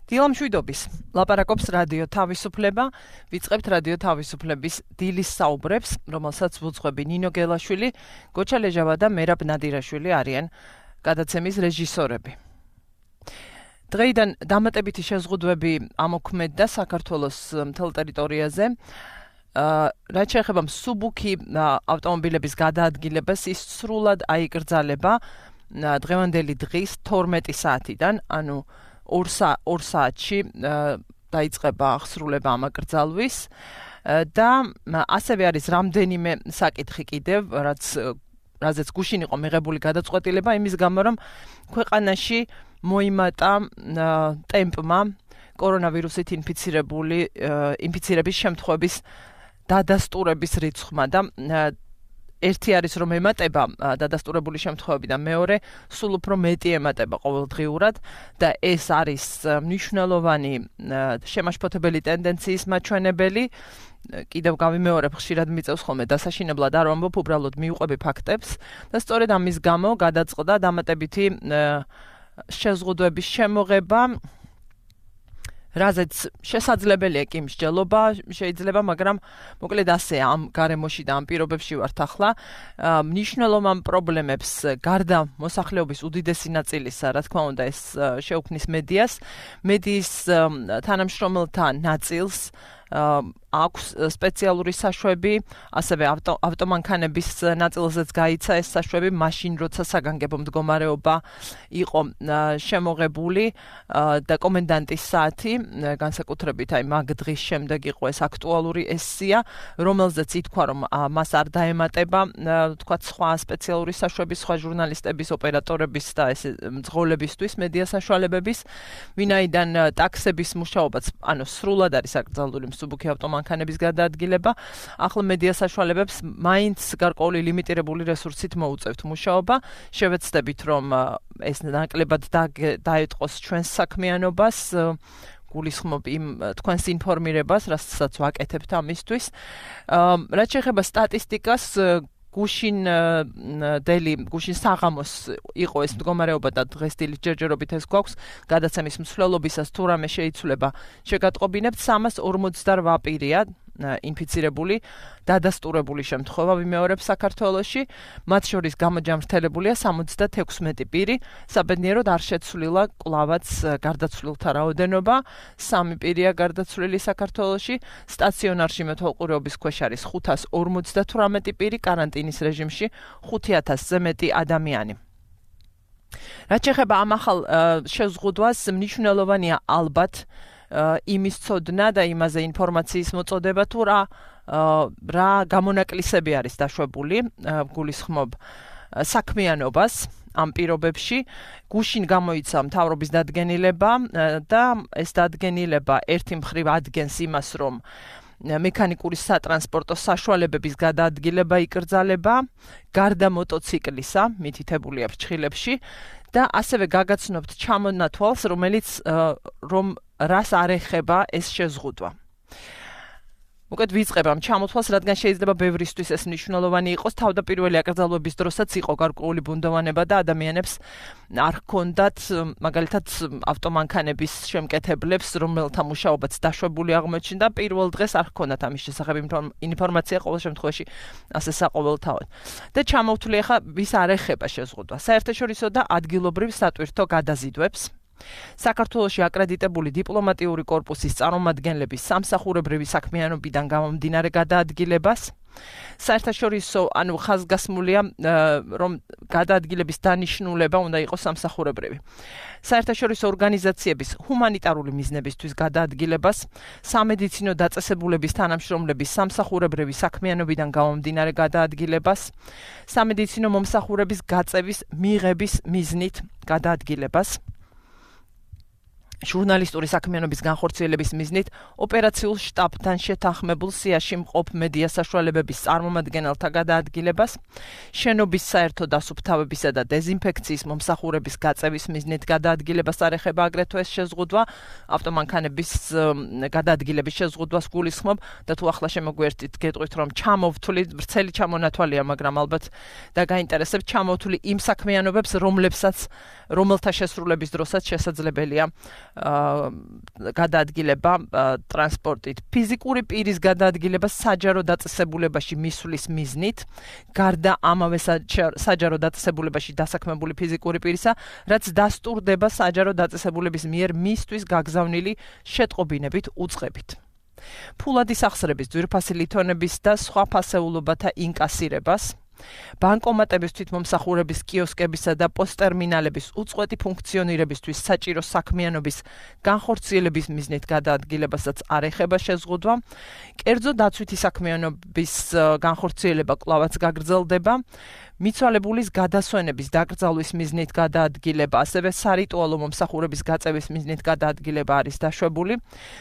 დილა მშვიდობის, ლაპარაკობს რადიო თავისუფლება, ვიწყებთ რადიო თავისუფლების დილის საუბრებს, რომელსაც ვუძღვები ნინო გელაშვილი, გოჩა ლეჟავა და მერაბ ნადირაშვილი არიან გადაცემის რეჟისორები. დღეიდან დამატებითი შეზღუდვები ამოქმედდა საქართველოს მთელ ტერიტორიაზე. რაც შეეხება მსუბუქი ავტომობილების გადაადგილებას, ის სრულად აიკრძალება დღევანდელი დღის 12 საათიდან, ანუ 2 საათში დაიწყება აღსრულება ამ აკრძალვის და ასევე არის რამდენიმე საკითხი კიდევ, რაზეც გუშინ იყო მიღებული გადაწყვეტილება, იმის გამო რომ ქვეყანაში მოიმატა ტემპმა კორონავირუსით ინფიცირების შემთხვევების დადასტურების რიცხვმა და ერთი არის რომ ემატება დადასტურებული შემთხვევები და მეორე სულ უფრო მეტი ემატება ყოველდღიურად და ეს არის მნიშვნელოვანი შემაშფოთებელი ტენდენციის მაჩვენებელი. კიდევ გავიმეორებ, ხშირად მიწევს ხოლმე დასაშინებლად არ ვამბობ, უბრალოდ მივყვები ფაქტებს და სწორედ ამის გამო გადაწყდა დამატებითი შეზღუდვების შემოღება, რაზეც შესაძლებელია კი მსჯელობა შეიძლება, მაგრამ მოკლედ ასე ამ გარემოში და ამ პირობებში ვართ ახლა. მნიშვნელოვან პრობლემებს გარდა მოსახლეობის უდიდესი ნაწილისა, რა თქმა უნდა, ეს შეუქმნის მედიის თანამშრომელთა ნაწილს აქვს სპეციალური საშვები, ასევე ავტომანქანების ნაწილზეც გაიცა ეს საშვები, მაშინ როცა საგანგებო მდგომარეობა იყო შემოღებული და კომენდანტის საათი, განსაკუთრებით აი მაგ დღის შემდეგ იყო ეს აქტუალური ეს სია, რომელზეც ითქვა რომ მას არ დაემატება თქვათ სხვა სპეციალური საშვები, სხვა ჟურნალისტების, ოპერატორების და ეს მძღოლებისთვის, მედია საშუალებების, ვინაიდან ტაქსების მუშაობაც, ანუ სრულად არის აკრძალული მსუბუქი ავტომანქანების გადაადგილება, ახლა მედია საშუალებებს მაინც გარკვეული ლიმიტირებული რესურსით მოუწევთ მუშაობა. შევეცდებით რომ ეს ნაკლებად დაეტყოს ჩვენს საქმიანობას, გულისხმობ იმ თქვენს ინფორმირებას, რასაც ვაკეთებთ ამისთვის. რაც შეეხება სტატისტიკას, გუშინ საღამოს იყო ეს მდგომარეობა და დღეს დილის ჯერჯერობით ეს გვაქვს გადაცემის მსვლელობისას თუ რამე შეიცვლება შეგატყობინებთ 348 პირია ინფიცირებული, დადასტურებული შემთხვევა ვიმეორებ საქართველოში, მათ შორის გამოჯამრთელებულია 76 პირი, საბედნიეროდ არ შეცვლილა კლავაც გარდაცვლილთა რაოდენობა, 3 პირია გარდაცვლილი საქართველოში, სტაციონარში მეთვალყურეობის ქვეშ არის 558 პირი, კარანტინის რეჟიმში 5000-ზე მეტი ადამიანი. რაც შეეხება ამ ახალ შეზღუდვას, მნიშვნელოვანია ალბათ იმის ცოდნა და იმაზე ინფორმაციის მოწოდება თუ რა გამონაკლისები არის დაშვებული, გულისხმობ საქმიანობას ამ პირობებში. გუშინ გამოიცა მთავრობის დადგენილება და ეს დადგენილება ერთი მხრივ ადგენს იმას, რომ მექანიკური სატრანსპორტო საშუალებების გადაადგილება იკრძალება, გარდა მოტოციკლისა, მითითებულია ფრჩხილებში და ასევე გაგაცნობთ ჩამონათვალს, რომელიც რას არ ეხება ეს შეზღუდვა. Უკეთ ვიწყებ ამ ჩამოთვალს, რადგან შეიძლება ბევრისთვის ეს მნიშვნელოვანი იყოს, თავდაპირველი აკრძალვების დროსაც იყო გარკვეული ბუნდოვანება და ადამიანებს არ ჰქონდათ, მაგალითად, ავტომანქანების შემკეთებლებს, რომელთა მუშაობაც დაშვებული აღმოჩნდა, პირველ დღეს არ ჰქონდათ ამის შესახებ ინფორმაცია ყოველ შემთხვევაში ასე საყოველთაოდ. და ჩამოვთვლი ახლა ვის არ ეხება შეზღუდვა. საერთაშორისო და ადგილობრივ სატვირთო გადაზიდვებს. საქართველოში აკრედიტებული დიპლომატიური კორპუსის წარმომადგენლების სამსახურებრივი საქმიანობიდან გამომდინარე გადაადგილებას, საერთაშორისო, ანუ ხაზგასმულია, რომ გადაადგილების დანიშნულება უნდა იყოს სამსახურებრივი. საერთაშორისო ორგანიზაციების ჰუმანიტარული მიზნებისთვის გადაადგილებას, სამედიცინო დაწესებულების თანამშრომლების სამსახურებრივი საქმიანობიდან გამომდინარე გადაადგილებას, სამედიცინო მომსახურების გაწევის მიღების მიზნით გადაადგილებას. ჟურნალისტური საქმიანობის განხორციელების მიზნით ოპერაციულ შტაბთან შეთანხმებულ სიაში მყოფ მედია საშუალებების წარმომადგენელთა გადაადგილებას, შენობის საერთო დასუფთავებისა და დეზინფექციის მომსახურების გაწევის მიზნით გადაადგილებას არ ეხება აგრეთვე ეს შეზღუდვა, ავტომანქანების გადაადგილების შეზღუდვას გულისხმობ და თუ ახლა შემოგვიერთით გეტყვით რომ ჩამოვთვლი ვრცელი ჩამონათვალია, მაგრამ ალბათ და გაინტერესებს ჩამოვთვლი იმ საქმიანობებს, რომელთა შესრულების დროსაც შესაძლებელია გადაადგილება ტრანსპორტით. ფიზიკური პირის გადაადგილება საჯარო დაწესებულებაში მისვლის მიზნით, გარდა ამავე საჯარო დაწესებულებაში დასაქმებული ფიზიკური პირისა, რაც დასტურდება საჯარო დაწესებულების მიერ მისთვის გაგზავნილი შეტყობინებით უწყებით. ფულადი სახსრების, ძვირფასი ლითონების და სხვა ფასეულობათა ინკასირებას, ბანკომატების თვითმომსახურების კიოსკებისა და პოსტერმინალების უწყვეტი ფუნქციონირებისთვის საჭირო საქმიანობის განხორციელების მიზნით გადაადგილებასაც არ ეხება შეზღუდვა, კერძო დაცვითი საქმიანობის განხორციელება კვლავაც გაგრძელდება, მიცვალებულის გადასვენების დაკრძალვის მიზნით გადაადგილება, ასევე სარიტუალო მომსახურების გაწევის მიზნით გადაადგილება არის დაშვებული,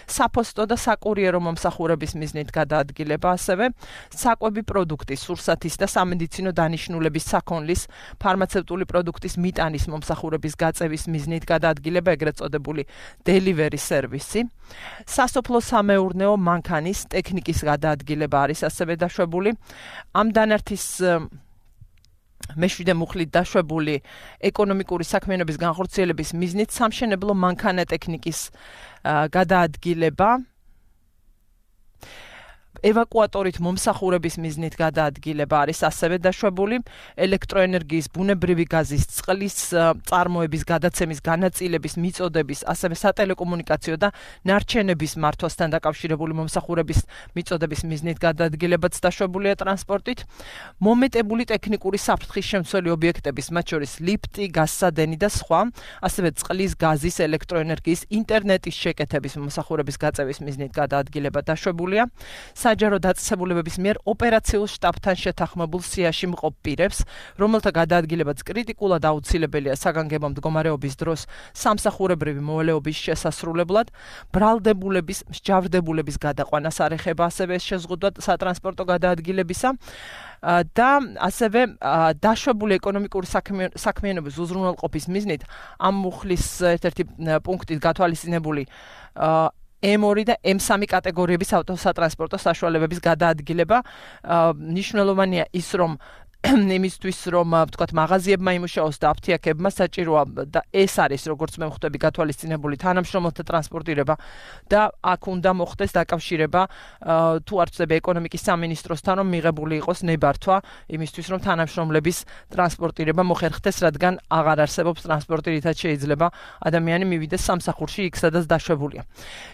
საფოსტო და საკურიერო მომსახურების მიზნით გადაადგილება, ასევე საკვები პროდუქტის, სურსათის და სამედიცინო დანიშნულების საქონლის, ფარმაცევტული პროდუქტის მიტანის მომსახურების გაწევის მიზნით გადაადგილება, ეგრეთ წოდებული delivery სერვისი, სასოფლო სამეურნეო მანქანის ტექნიკის გადაადგილება არის ასევე დაშვებული, ამ დანართის მეშვიდე მუხლით დაშვებული ეკონომიკური საქმიანობის განხორციელების მიზნით სამშენებლო მანქანა-ტექნიკის გადაადგილება, ევაკუატორით მომსახურების მიზნით გადაადგილება არის ასევე დაშვებული, ელექტროენერგიის, ბუნებრივი გაზის, წყლის წარმოების გადაცემის განაწილების მიწოდების, ასევე სატელეკომუნიკაციო და ნარჩენების მართვასთან დაკავშირებული მომსახურების მიწოდების მიზნით გადაადგილებაც დაშვებულია ტრანსპორტით, მომეტებული ტექნიკური საფრთხის შემცველი ობიექტების, მათ შორის ლიფტი, გაზსადენი და სხვა, ასევე წყლის, გაზის, ელექტროენერგიის, ინტერნეტის შეკეთების მომსახურების გაწევის მიზნით გადაადგილება დაშვებულია. საჯარო დაწესებულებების მიერ ოპერაციულ შტაბთან შეთანხმებულ სიაში მყოფ პირებს, რომელთა გადაადგილებაც კრიტიკულად აუცილებელია საგანგებო მდგომარეობის დროს სამსახურებრივი მოვალეობის შესასრულებლად, ბრალდებულების, მსჯავრდებულების გადაყვანას არ ეხება ასევე ეს შეზღუდვა სატრანსპორტო გადაადგილებისა და ასევე დაშვებული ეკონომიკური საქმიანობის უზრუნველყოფის მიზნით ამ მუხლის ერთ-ერთი პუნქტით გათვალისწინებული M2 და M3 კატეგორიების ავტოსატრანსპორტო საშუალებების გადაადგილება მნიშვნელოვანია ის რომ იმისთვის რომ ვთქვათ მაღაზიებმა იმუშაოს და აფთიაქებმა საჭიროა და ეს არის როგორც მე ვხვდები გათვალისწინებული თანამშრომელთა ტრანსპორტირება და აქ უნდა მოხდეს დაკავშირება თუ არ ვწდები ეკონომიკის სამინისტროსთან რომ მიღებული იყოს ნებართვა იმისთვის რომ თანამშრომლების ტრანსპორტირება მოხერხდეს რადგან აღარ არსებობს ტრანსპორტი რითაც შეიძლება ადამიანი მივიდეს სამსახურში იქ სადაც დაშვებულია.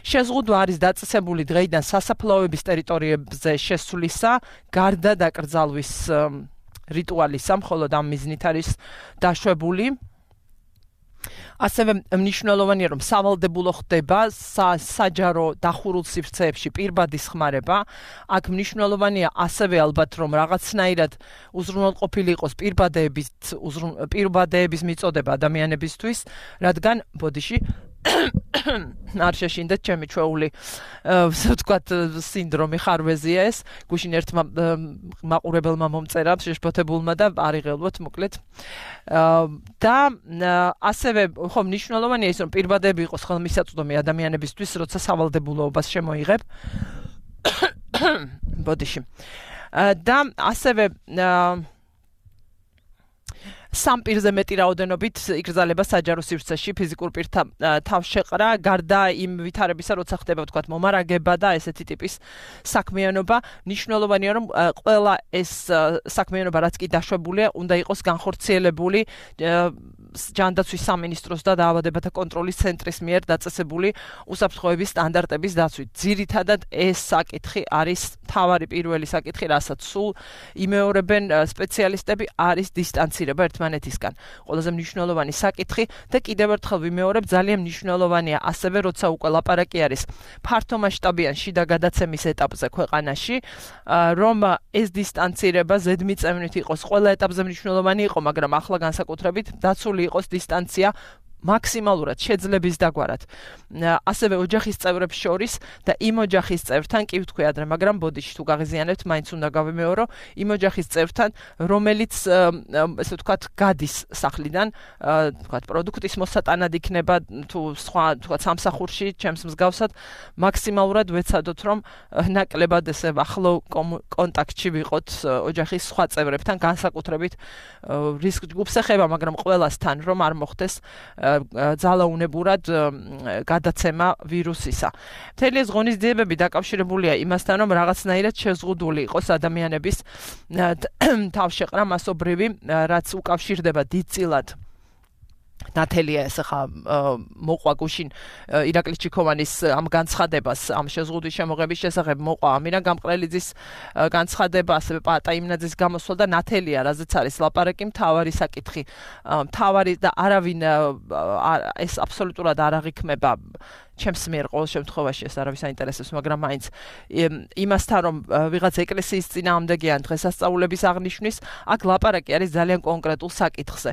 შეზღუდვა არის დაწესებული დღეიდან სასაფლაოების ტერიტორიებზე შესვლისა გარდა დაკრძალვის რიტუალისა, მხოლოდ ამ მიზნით არის დაშვებული. ასევე მნიშვნელოვანია რომ სავალდებულო ხდება საჯარო დახურულ სივრცეებში პირბადის ხმარება. აქ მნიშვნელოვანია ასევე ალბათ რომ რაღაცნაირად უზრუნველყოფილი იყოს პირბადეების მიწოდება ადამიანებისთვის, რადგან ბოდიში არ შეშინდეთ ჩემი ჩვეული ვთქვათ სინდრომი ხარვეზია ეს გუშინ ერთმა მაყურებელმა მომწერა შეშფოთებულმა და არიღელვოთ მოკლედ და ასევე ხომ მნიშვნელოვანია ის რომ პირბადები იყოს ხელმისაწვდომი ადამიანებისთვის როცა სავალდებულოობას შემოიღებ ბოდიში და ასევე სამ პირზე მეტი რაოდენობით იგრძალება საჯარო სივრცეში ფიზიკურ პირთა თავშეყრა, გარდა იმ ვითარებისა, როცა ხდება ვთქვათ მომარაგება და ესეთი ტიპის საქმიანობა, მნიშვნელოვანია რომ ყველა ეს საქმიანობა რაც კი დაშვებულია, უნდა იყოს განხორციელებული ჯანდაცვის სამინისტროს და დაავადებათა კონტროლის ცენტრის მიერ დაწესებული უსაფრთხოების სტანდარტების დაცვით. ძირითადად ეს საკითხი არის მთავარი პირველი საკითხი, რასაც სულ იმეორებენ სპეციალისტები, არის დისტანცირება ერთმანეთისგან. ყველაზე მნიშვნელოვანი საკითხი და კიდევ ერთხელ ვიმეორებ, ძალიან მნიშვნელოვანია ასევე, როცა უკვე ლაპარაკი არის ფართომასშტაბიან შიდა გადაცემის ეტაპზე ქვეყანაში, რომ ეს დისტანცირება ზედმიწევნით იყოს. ყველა ეტაპზე მნიშვნელოვანი იყო, მაგრამ ახლა განსაკუთრებით დაცული იყოს დისტანცია მაქსიმალურად შეძლების დაგვარად ასევე ოჯახის წევრებს შორის და იმ ოჯახის წევრთან კი ვთქვი ადრე, მაგრამ ბოდიში თუ გაღიზიანებთ, მაინც უნდა გავიმეორო იმ ოჯახის წევრთან, რომელიც ესე ვთქვათ, გადის სახლიდან, ვთქვათ, პროდუქტის მოსატანად იქნება თუ სხვა, ვთქვათ, სამსახურში, ჩემს მსგავსად, მაქსიმალურად ვეცადოთ, რომ ნაკლებად ესე ახლო კონტაქტში ვიყოთ ოჯახის სხვა წევრებთან, განსაკუთრებით რისკ ჯგუფს ეხება, მაგრამ ყველასთან, რომ არ მოხდეს ძალაუნებურად გადაცემა ვირუსისა. მთელი ეს ღონისძიებები დაკავშირებულია იმასთან, რომ რაღაცნაირად შეზღუდული იყოს ადამიანების თავშეყრა მასობრივი, რაც უკავშირდება დიდწილად ნათელია ეს ხა მოყვა გუშინ ირაკლი ჩიქოვანის ამ განცხადებას, ამ შეზღუდვის შემოღების შესახებ მოყვა ამირან გამყრელიძის განცხადება, ასევე პატა იმნაძის გამოსვლა და ნათელია, რაზეც არის ლაპარაკი, მთავარი საკითხი, მთავარი და არავინ ეს აბსოლუტურად არ აღიქმება ჩემს მიერ ყოველ შემთხვევაში ეს არავის აინტერესებს, მაგრამ მაინც იმასთან, რომ ვიღაც ეკლესიის წინააღმდეგი ან დღესასწაულების აღნიშვნის, აქ ლაპარაკი არის ძალიან კონკრეტულ საკითხზე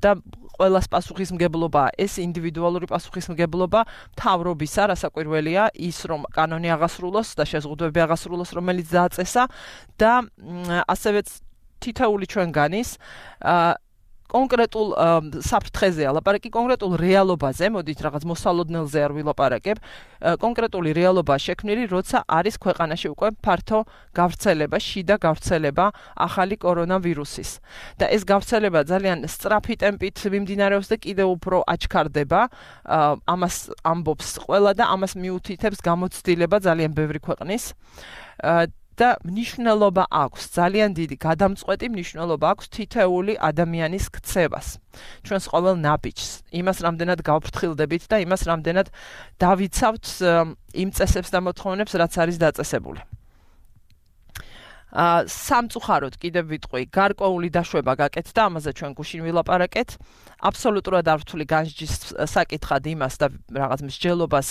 და ყველას პასუხისმგებლობა, ეს ინდივიდუალური პასუხისმგებლობა მთავრობისა, რასაკვირველია, ის რომ კანონი აღასრულოს და შეზღუდვები აღასრულოს, რომელიც დააწესა და ასევე თითოეული ჩვენგანის კონკრეტულ საფრთხეზეა ლაპარაკი, კონკრეტულ რეალობაზე, მოდით რაღაც მოსალოდნელზე არ ვილაპარაკებ, კონკრეტული რეალობაა შექმნილი, როცა არის ქვეყანაში უკვე ფართო გავრცელება, შიდა გავრცელება ახალი კორონავირუსის. და ეს გავრცელება ძალიან სწრაფი ტემპით მიმდინარეობს და კიდევ უფრო აჩქარდება, ამას ამბობს ყველა და ამას მიუთითებს გამოცდილება ძალიან ბევრი ქვეყნის. და მნიშვნელობა აქვს, ძალიან დიდი გადამწყვეტი მნიშვნელობა აქვს თითოეული ადამიანის ქცევას, ჩვენს ყოველ ნაბიჯს, იმას რამდენად გავფრთხილდებით და იმას რამდენად დავიცავთ იმ წესებს და მოთხოვნებს, რაც არის დაწესებული. სამწუხაროდ კიდევ ვიტყვი, გარკვეული დაშვება გაკეთდა, ამაზე ჩვენ გუშინ ვილაპარაკეთ, აბსოლუტურად არ ვთვლი განსჯის საკითხად იმას და რაღაც მსჯელობას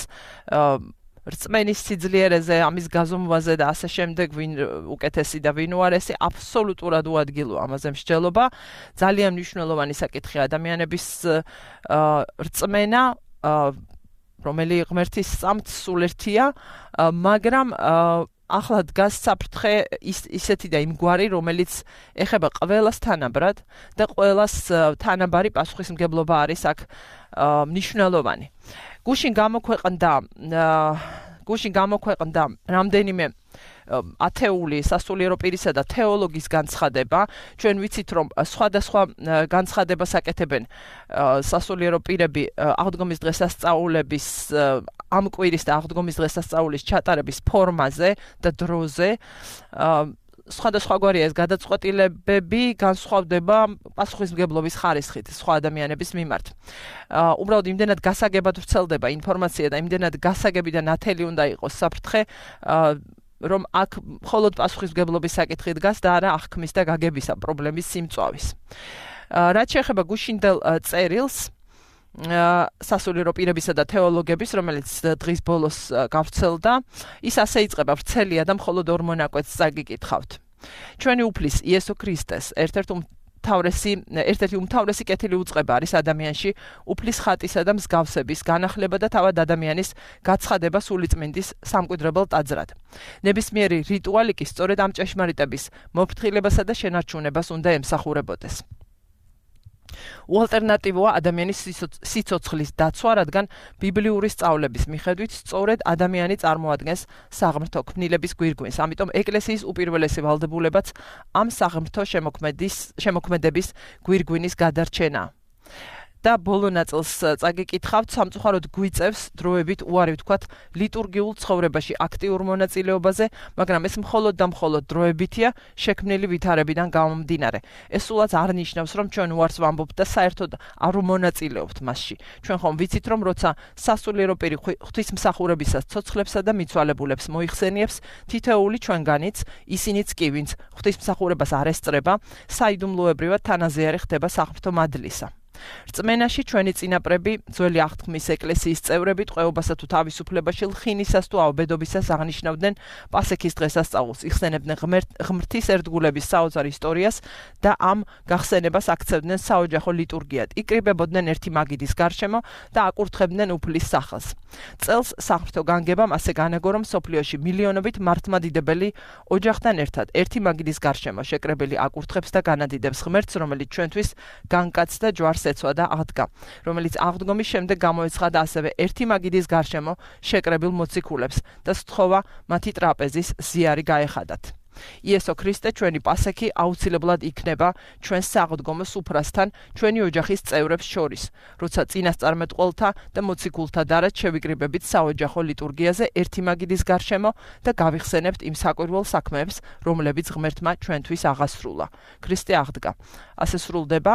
რწმენის სიძლიერეზე, ამის გაზომვაზე და ასე შემდეგ, ვინ უკეთესი და ვინ უარესი, აბსოლუტურად უადგილოა ამაზე მსჯელობა. ძალიან მნიშვნელოვანი საკითხია ადამიანების რწმენა, რომელი ღმერთის წამთ სულ ერთია, მაგრამ ახლა დგას საფრთხე ისეთი და იმგვარი, რომელიც ეხება ყველას თანაბრად და ყველას თანაბარი პასუხისმგებლობა არის აქ მნიშვნელოვანი. გუშინ გამოქვეყნდა რამდენიმე ათეული სასულიერო პირისა და თეოლოგის განცხადება. ჩვენ ვიცით, რომ სხვადასხვა განცხადებას აკეთებენ სასულიერო პირები აღდგომის დღესასწაულების ამ კვირის და აღდგომის დღესასწაულის ჩატარების ფორმაზე და დროზე. სხვადასხვაგვარია ეს გადაწყვეტილებები, განსხვავდება პასუხისმგებლობის ხარისხით სხვა ადამიანების მიმართ. უბრალოდ იმდენად გასაგებად ვრცელდება ინფორმაცია და იმდენად გასაგები და ნათელი უნდა იყოს საფრთხე, რომ აქ მხოლოდ პასუხისმგებლობის საკითხი დგას და არა აღქმის და გაგებისა პრობლემის სიმწვავის. რაც შეეხება გუშინდელ წერილს სასულიერო პირებისა და თეოლოგების, რომელიც დღის ბოლოს გავრცელდა, ის ასე იწყება: ვრცელია და მხოლოდ ორ მონაკვეთს წაგიკითხავთ. ჩვენი უფლის იესო ქრისტეს ერთ-ერთი უმთავრესი კეთილი უწყება არის ადამიანში უფლის ხატისა და მსგავსების განახლება და თავად ადამიანის გაცხადება სულიწმინდის სამკვიდრებელ ტაძრად. ნებისმიერი რიტუალი კი სწორედ ამ ჭეშმარიტების მოფრთხილებასა და შენარჩუნებას უნდა ემსახურებოდეს. უალტერნატივოა ადამიანის სიცოცხლის დაცვა, რადგან ბიბლიური სწავლების მიხედვით სწორედ ადამიანი წარმოადგენს საღმრთო ქმნილების გვირგვინს. ამიტომ ეკლესიის უპირველესი ვალდებულებაც ამ საღმრთო შემოქმედების გვირგვინის გადარჩენაა. და ბოლო ნაწილს წაგიკითხავთ, სამწუხაროდ გვიწევს დროებით უარი ვთქვათ ლიტურგიულ ცხოვრებაში აქტიურ მონაწილეობაზე, მაგრამ ეს მხოლოდ და მხოლოდ დროებითია, შექმნილი ვითარებიდან გამომდინარე. ეს სულაც არ ნიშნავს, რომ ჩვენ უარს ვამბობთ და საერთოდ არ ვმონაწილეობთ მასში. ჩვენ ხომ ვიცით, რომ როცა სასულიერო პირი ღვთისმსახურებისას ცოცხლებსა და მიცვალებულებს მოიხსენიებს, თითოეული ჩვენგანიც, ისინიც კი, ვინც ღვთისმსახურებას არ ესწრება, საიდუმლოებრივად თანაზიარი ხდება საღმრთო მადლისა. რწმენაში ჩვენი წინაპრები, ძველი აღთქმის ეკლესიის წევრები ტყვეობასა თუ თავისუფლებაში ლხინისას თუ ავბედობისას აღნიშნავდნენ პასექის დღესასწაულს, იხსენებდნენ ღმრთის ერთგულების საოცარ ისტორიას და ამ გახსენებას აქცევდნენ საოჯახო ლიტურგიად. იკრიბებოდნენ ერთი მაგიდის გარშემო და აკურთხებდნენ უფლის სახელს. წელს საღვთო განგებამ ასე განაგო, რომ მსოფლიოში მილიონობით მართლმადიდებელი ოჯახთან ერთად ერთი მაგიდის გარშემო შეკრებილი აკურთხებს და განადიდებს ღმერთს, რომელიც ჩვენთვის განკაცდა ჯვარს ეცვა და აღდგა, რომელიც აღდგომის შემდეგ გამოეცხადა ასევე ერთი მაგიდის გარშემო შეკრებილ მოციქულებს და სთხოვა მათი ტრაპეზის ზიარი გაეხადათ. იესო ქრისტე, ჩვენი პასექი აუცილებლად იქნება ჩვენს საღდგომო სუფრასთან, ჩვენი ოჯახის წევრებს შორის, როცა წინასწარმეტყველთა და მოციქულთა დარად შევიკრიბებით საოჯახო ლიტურგიაზე ერთი მაგიდის გარშემო და გავიხსენებთ იმ საკვირველ საქმეებს, რომლებიც ღმერთმა ჩვენთვის აღასრულა. ქრისტე აღდგა. ასე სრულდება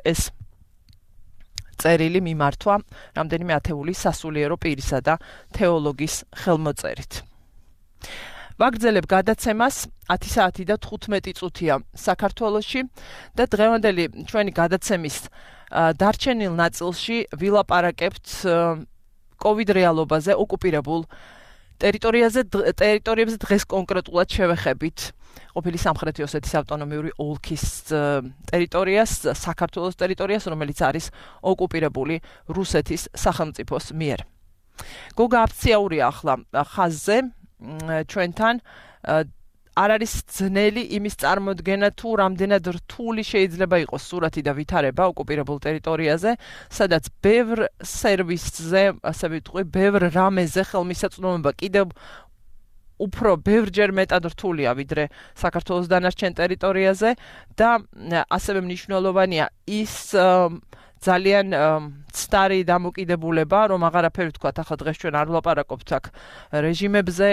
ეს წერილი მიმართვა რამდენიმე ათეული სასულიერო პირისა და თეოლოგის ხელმოწერით. ვაგრძელებ გადაცემას 10 საათი და 15 წუთია საქართველოში და დღევანდელი ჩვენი გადაცემის დარჩენილ ნაწილში ვილაპარაკებთ COVID რეალობაზე, ოკუპირებულ ტერიტორიებზე დღეს კონკრეტულად შევეხებით ყოფილი სამხრეთი ოსეთის ავტონომიური ოლქის ტერიტორიას, საქართველოს ტერიტორიას, რომელიც არის ოკუპირებული რუსეთის სახელმწიფოს მიერ. გოგა აფციაურია ახლა ხაზზე ჩვენთან, არ არის ძნელი იმის წარმოდგენა თუ რამდენად რთული შეიძლება იყოს სურათი და ვითარება ოკუპირებულ ტერიტორიაზე, სადაც ბევრ სერვისზე, ასე ვიტყვი, ბევრ რამეზე ხელმისაწვდომობა კიდევ უფრო ბევრჯერ მეტად რთულია ვიდრე საქართველოს დანარჩენ ტერიტორიაზე და ასევე მნიშვნელოვანია ის ძალიან ცდარი დამოკიდებულება, რომ აღარაფერი ვთქვათ, ახლა დღეს ჩვენ არ ვლაპარაკობთ აქ რეჟიმებზე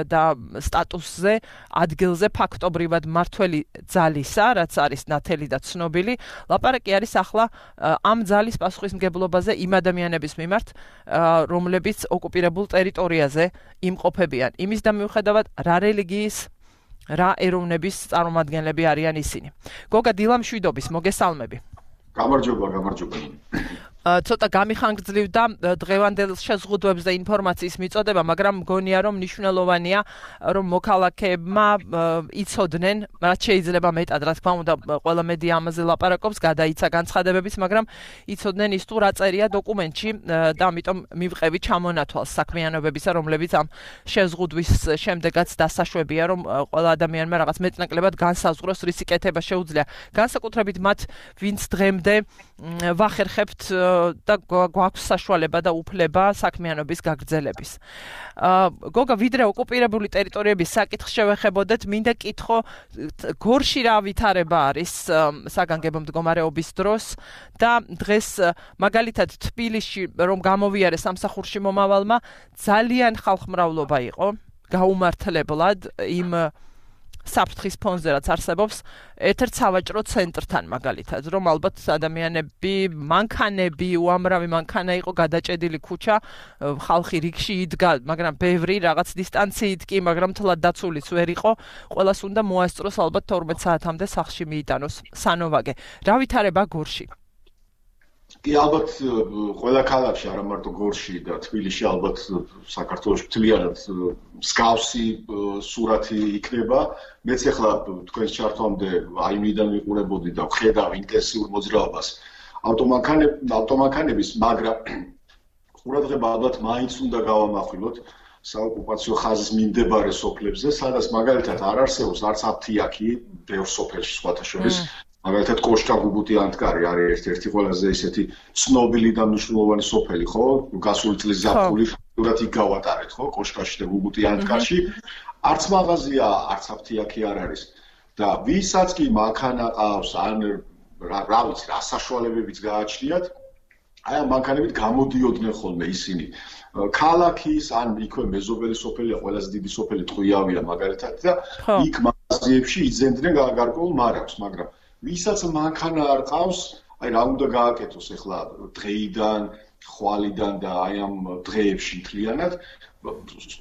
და სტატუსზე, ადგილზე ფაქტობრივად მართველი ძალისა, რაც არის ნათელი და ცნობილი, ლაპარაკი არის ახლა ამ ძალის პასუხისმგებლობაზე იმ ადამიანების მიმართ, რომლებიც ოკუპირებულ ტერიტორიაზე იმყოფებიან. იმის და მიუხედავად რა რელიგიის, რა ეროვნების წარმომადგენლები არიან ისინი. გოგა დილამშვიდობის, მოგესალმები. გამარჯობა. ცოტა გამიხანგრძლივდა დღევანდელ შეზღუდვებს და ინფორმაციის მიწოდება, მაგრამ მგონია, რომ მნიშვნელოვანია, რომ მოქალაქეებმა იცოდნენ, რაც შეიძლება მეტად, რა თქმა უნდა, ყველა მედია ამაზე ლაპარაკობს, გადაიცა განცხადებებიც, მაგრამ იცოდნენ ის თუ რა წერია დოკუმენტში და ამიტომ მივყევი ჩამონათვალს საქმიანობებისა, რომლებიც ამ შეზღუდვის შემდეგაც დასაშვებია, რომ ყველა ადამიანმა რაღაც მეტნაკლებად განსაზღვროს, რისი კეთება შეუძლია. განსაკუთრებით მათ, ვინც დღემდე ვახერხებთ და გვაქვს საშუალება და უფლება საქმიანობის გაგრძელების. გოგა, ვიდრე ოკუპირებული ტერიტორიების საკითხს შევეხებოდეთ, მინდა კითხო, გორში რა ვითარება არის საგანგებო მდგომარეობის დროს და დღეს მაგალითად თბილისში რომ გამოვიარე სამსახურში მომავალმა, ძალიან ხალხმრავლობა იყო, გაუმართლებლად იმ საფრთხის ფონზე რაც არსებობს ერთ-ერთ სავაჭრო ცენტრთან მაგალითად, რომ ალბათ ადამიანები, მანქანები, უამრავი მანქანა იყო გადაჭედილი ქუჩა, ხალხი რიგში იდგა, მაგრამ ბევრი რაღაც დისტანციით კი, მაგრამ თლად დაცულიც ვერ იყო, ყველას უნდა მოასწროს ალბათ 12 საათამდე სახლში მიიტანოს სანოვაგე. რა ვითარება გორში? კი, ალბათ ყველა ქალაქში, არა მარტო გორში და თბილისში, ალბათ საქართველოს მთლიანად მსგავსი სურათი იქნება. მეც ახლა თქვენს ჩართვამდე აიმიდან ვიყურებოდი და ვხედავ ინტენსიურ მოძრაობას ავტომანქანების, მაგრამ ყურადღება ალბათ მაინც უნდა გავამახვილოთ საოკუპაციო ხაზის მიმდებარე სოფლებზე, სადაც მაგალითად არ არსებობს არც აფთიაქი, ბევრ სოფელში სხვათა შორის. მაგალითად კოშკა გუბუტი-ანტკარი არის ერთ-ერთი ყველაზე ისეთი ცნობილი და მნიშვნელოვანი სოფელი, ხო? გასული წლის ზაფხული ფაქტურად იქ გავატარეთ, ხო? კოშკაში და გუბუტი-ანტკარში. არც მაღაზია, არც აფთიაქი არ არის. და ვისაც კი მანქანა ყავს, ან რა ვიცი, რა საშუალებებიც გააჩნიათ, აი ამ მანქანებით გამოდიოდნენ ხოლმე ისინი. ქალაქის, ან იქვე მეზობელი სოფელია, ყველაზე დიდი სოფელი ტყვიავია მაგალითად და იქ მაღაზიებში იძენდნენ გარკვეულ მარაგს, მაგრამ ვისაც მანქანა არ ყავს, აი რა უნდა გააკეთოს ახლა დღეიდან, ხვალიდან და აი ამ დღეებში მთლიანად,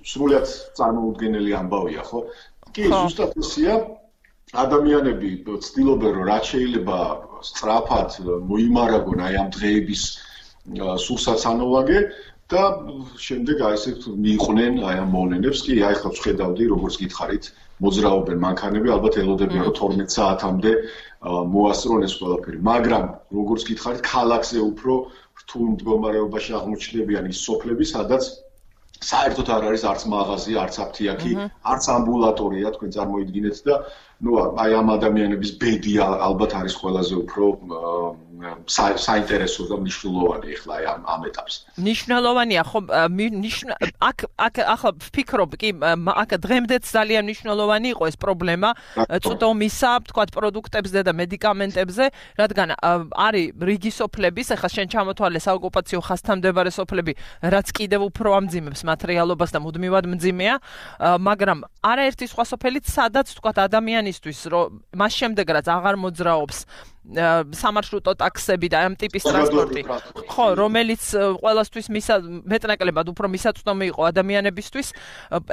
სრულიად წარმოუდგენელი ამბავია, ხო? კი, ზუსტად ისეა. ადამიანები ცდილობენ რომ რაც შეიძლება სწრაფად მოიმარაგონ აი ამ დღეების სულსაცანოვაგე და შემდეგ აი ესე მიიყვნენ აი ამ მოვლენებს კი აი ხა ვხედავდი როგორც გითხარით მოძრაობენ მანქანები ალბათ ელოდებიან რომ 12 საათამდე მოასწრონ ეს ყველაფერი მაგრამ როგორც გითხარით ქალაქზე უფრო რთულ მდგომარეობაში აღმოჩნდებიან ის სოფლები სადაც საერთოდ არ არის არც მაღაზია არც აფთიაქი არც ამბულატორია თქვენ წარმოიდგინეთ და ну აი ამ ადამიანების ბედი ალბათ არის ყველაზე უფრო საინტერესო და მნიშვნელოვანი ახლა ამ ეტაპს. მნიშვნელოვანია ხო აქ ახლა ვფიქრობ კი აქ დღემდეც ძალიან მნიშვნელოვანი იყო ეს პრობლემა წვდომისა, თქვათ პროდუქტებზე და მედიკამენტებზე, რადგან არის რიგი სოფლების, ახლა შენ ჩამოთვალე საოკუპაციო ხასთამდებარე სოფლები, რაც კიდევ უფრო ამძიმებს მატერიალობას და მუდმივად მძიმეა, მაგრამ არაერთი სხვა სოფელიც სადაც თქვათ ადამიანისთვის რომ მას შემდეგ რაც აღარ მოძრაობს სამარშრუტო ტაქსები და ამ ტიპის ტრანსპორტი ხო რომელიც ყველასთვის მეტნაკლებად უფრო მისაწვდომი იყო ადამიანებისთვის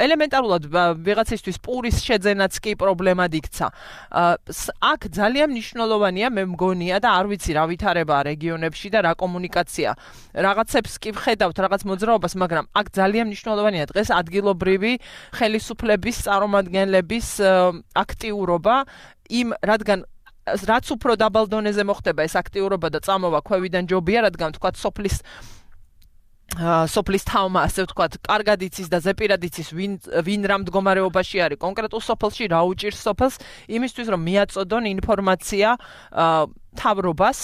ელემენტარულად ვიღაცისთვის პურის შეძენაც კი პრობლემად იქცა აქ ძალიან მნიშვნელოვანია მე მგონია და არ ვიცი რა ვითარებაა რეგიონებში და რა კომუნიკაცია რაღაცებს კი ვხედავთ რაღაც მოძრაობას მაგრამ აქ ძალიან მნიშვნელოვანია დღეს ადგილობრივი ხელისუფლების წარმომადგენლების აქტიურობა იმ რადგან რაც უფრო დაბალ დონეზე მოხდება ეს აქტიურობა და წამოვა ქვევიდან ჯობია, რადგან თქვათ სოფლის თავმა, ასე ვთქვათ, კარგად იცის და ზეპირად იცის ვინ რა მდგომარეობაში არის კონკრეტულ სოფელში, რა უჭირს სოფელს, იმისთვის რომ მიაწოდონ ინფორმაცია თავრობას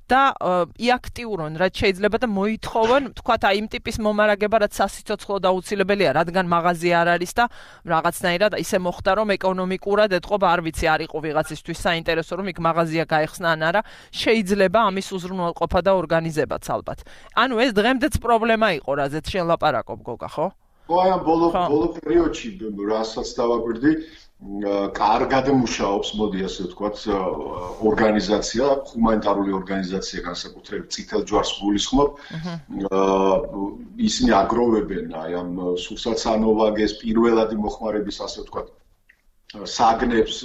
და იაქტიურონ რაც შეიძლება და მოითხოვონ თქვათ აი იმ ტიპის მომარაგება რაც სასიცოცხლო დაუცილებელია რადგან მაღაზია არ არის და რაღაცნაირად ისე მოხდა რომ ეკონომიკურად ეთყობა არ ვიცი არ იყო ვიღაცისთვის საინტერესო რომ იქ მაღაზია გაიხსნა ან არა შეიძლება ამის უზრუნველყოფა და ორგანიზებაც ალბათ ანუ ეს დღემდეც პრობლემა იყო რაზეც შენ ლაპარაკობ გოგა ხო აი ამ ბოლო პერიოდში რასაც დავაკვირდი კარგად მუშაობს, მოდი ასე ვთქვათ, ორგანიზაცია, ჰუმანიტარული ორგანიზაცია განსაკუთრებით წითელ ჯვარს გულისხმობ. ისინი აგროვებენ აი ამ სულსაცანოვაგეს პირველადი მოხმარების ასე ვთქვათ საგნებს,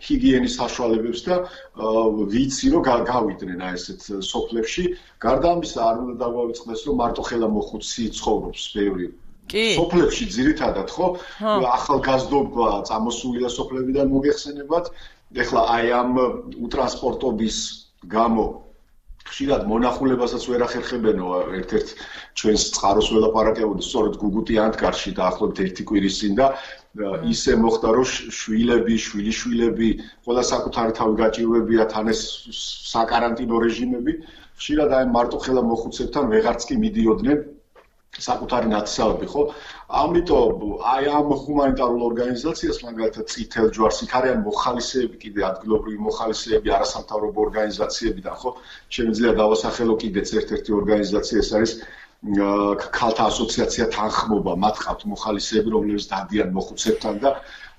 ჰიგიენის საშუალებებს და ვიცი რომ გავიდნენ აი ესეთ სოფლებში. გარდა ამისა არ უნდა დაგვავიწყდეს რომ მარტო ხელამოხუცი ცხოვრობს ბევრი სოფლებში ძირითადად ხო ახალგაზრდობა წამოსულია სოფლებიდან მოგეხსენებათ ეხლა აი ამ უტრანსპორტობის გამო ხშირად მონახულებასაც ვერ ახერხებენო ერთ-ერთ ჩვენს წყაროს ველაპარაკებოდი სწორედ გუგუტი ანტკარში დაახლოებით 1 კვირის წინ და ისე მოხდა რომ შვილიშვილები ყველა საკუთარი თავი გაჭირვებია თან ეს საკარანტინო რეჟიმები ხშირად აი მარტო ხელამოხუცებთან ვეღარც კი მიდიოდნენ საკუთარი ნათესავები ხო? ამიტომ აი ამ ჰუმანიტარულ ორგანიზაციას მაგალითად წითელ ჯვარს იქ არიან მოხალისეები კიდე ადგილობრივი მოხალისეები არასამთავრობო ორგანიზაციებიდან ხო? შემიძლია დავასახელო კიდეც ერთ-ერთი ორგანიზაცია ეს არის ქალთა ასოციაცია თანხმობა მათ ყავთ მოხალისეები რომლებიც დადიან მოხუცებთან და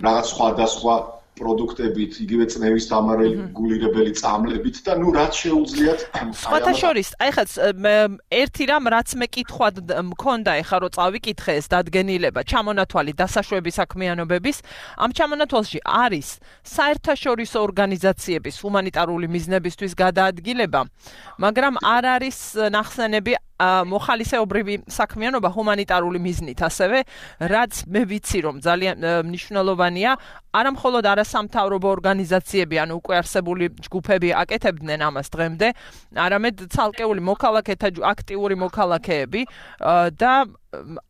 რაღაც სხვადასხვა პროდუქტებით, იგივე წნევის დამარეგულირებელი წამლებით და ნუ რაც შეუძლიათ სხვათა შორის, აი ხაც ერთი რამ რაც მე კითხვად მქონდა ეხა რომ წავიკითხე ეს დადგენილება, ჩამონათვალი დასაშვები საქმიანობების, ამ ჩამონათვალში არის საერთაშორისო ორგანიზაციების ჰუმანიტარული მიზნებისთვის გადაადგილება, მაგრამ არ არის ნახსენები მოხალისეობრივი საქმიანობა ჰუმანიტარული მიზნით ასევე, რაც მე ვიცი რომ ძალიან მნიშვნელოვანია, არა მხოლოდ არასამთავრობო ორგანიზაციები, ანუ უკვე არსებული ჯგუფები აკეთებდნენ ამას დღემდე, არამედ ცალკეული მოქალაქეთა აქტიური მოქალაქეები და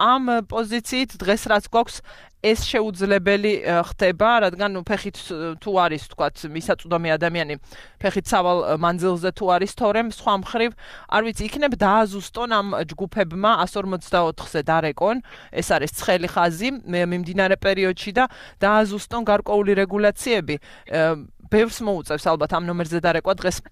ამ პოზიციით დღეს რაც გვაქვს ეს შეუძლებელი ხდება, რადგან ფეხით თუ არის, თქვათ, მისაწვდომი ადამიანი, ფეხით სავალ მანძილზე თუ არის თორემ, სხვა მხრივ, არ ვიცი, იქნებ დააზუსტონ ამ ჯგუფებმა 154-ზე დარეკონ, ეს არის ცხელი ხაზი მიმდინარე პერიოდში და დააზუსტონ გარკვეული რეგულაციები. ბევრს მოუწევს ალბათ ამ ნომერზე დარეკვა დღეს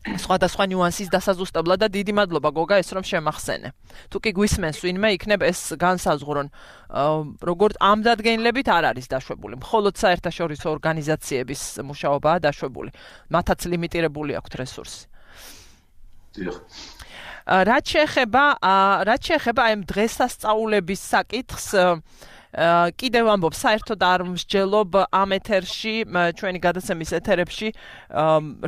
სხვადასხვა ნიუანსის დასაზუსტებლად და დიდი მადლობა გოგა ეს რომ შემახსენე. თუ კი გვისმენს ვინმე იქნებ ეს განსაზღვრონ, როგორც ამ დადგენილებით არ არის დაშვებული. მხოლოდ საერთაშორისო ორგანიზაციების მუშაობაა დაშვებული. მათაც ლიმიტირებული აქვთ რესურსი. დიახ. რაც შეეხება აი დღესასწაულების საკითხს კიდევ ამბობ საერთოდ არ მსჯელობ ამ ეთერში ჩვენი გადაცემის ეთერებში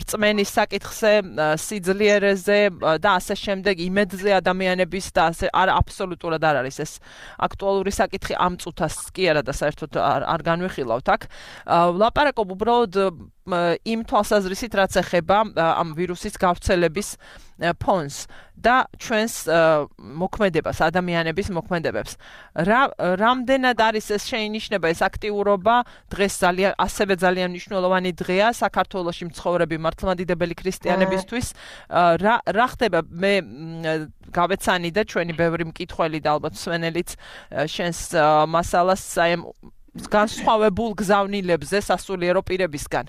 რწმენის საკითხზე, სიძლიერეზე და ასე შემდეგ იმედზე ადამიანების და ასე აბსოლუტურად არ არის ეს აქტუალური საკითხი ამ წუთას კი არა და საერთოდ არ განვიხილავთ აქ. ლაპარაკობ უბრალოდ იმ თვალსაზრისით რაც ეხება ამ ვირუსის გავრცელების ფონს და ჩვენს მოქმედებას, ადამიანების მოქმედებებს. რამდენად არის ეს შეინიშნება ეს აქტიურობა დღეს ასევე ძალიან მნიშვნელოვანი დღეა საქართველოში მცხოვრები მართლმადიდებელი ქრისტიანებისთვის. რა ხდება მე გავეცანი და ჩვენი ბევრი მკითხველი და ალბათ მსვენელიც შენს მასალას აი განსხვავებულ გზავნილებზე სასულიერო პირებისგან.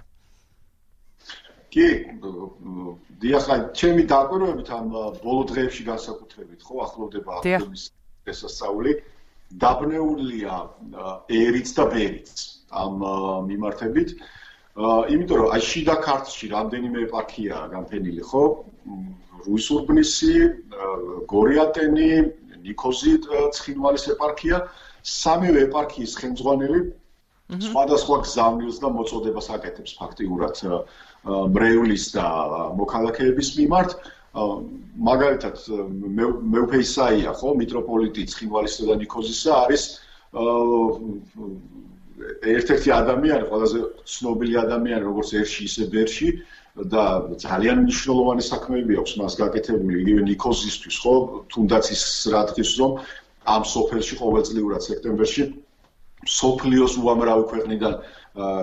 კი, დიახ, ჩემი დაკვირვებით ამ ბოლო დღეებში განსაკუთრებით, ხო, ახლოვდება აპრილის დღესასწაული, დაბნეულია ერიც და ბერიც ამ მიმართებით. იმიტომ რომ აი შიდა ქართლში რამდენიმე ეპარქიაა განფენილი, ხო? რუისურბნისი, გორიატენი, ნიქოზი ცხინვალის ეპარქია, სამივე ეპარქიის ხელმძღვანელი სხვადასხვა გზავნილს და მოწოდებას აკეთებს ფაქტიურად მრევლის და მოქალაქეების მიმართ. მაგალითად მეუფე ისაია, ხო, მიტროპოლიტი ცხინვალისა და ნიქოზისა არის ერთ-ერთი ადამიანი, ყველაზე ცნობილი ადამიანი, როგორც ერში, ისე ბერში და ძალიან მნიშვნელოვანი საქმეები აქვს მას გაკეთებული იგივე ნიქოზისთვის, ხო, თუნდაც ის რა დღის რომ ამ სოფელში ყოველწლიურად სექტემბერში სოფლიოს უამრავი ქვეყნიდან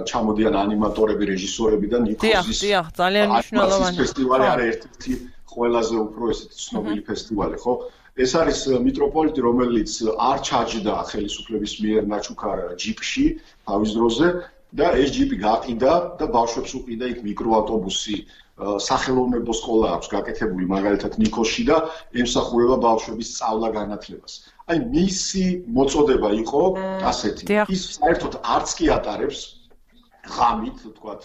ჩამოდიან ანიმატორები, რეჟისორები და ნიქოზის ძალიან მნიშვნელოვანი ფესტივალი არის ერთ-ერთი ყველაზე უფრო ესეთი ცნობილი ფესტივალი, ხო? ეს არის მიტროპოლიტი, რომელიც არ ჩაჯდა ხელისუფლების მიერ ნაჩუქარ ჯიპში თავის დროზე და ეს ჯიპი გაყიდა და ბავშვებს უყიდა იქ მიკროავტობუსი. სახელოვნებო სკოლა აქვს გაკეთებული მაგალითად ნიქოზში და ემსახურება ბავშვების სწავლა-განათლებას. აი მისი მოწოდება იყო ასეთი. ის საერთოდ არც კი ატარებს ღამით, თქვათ,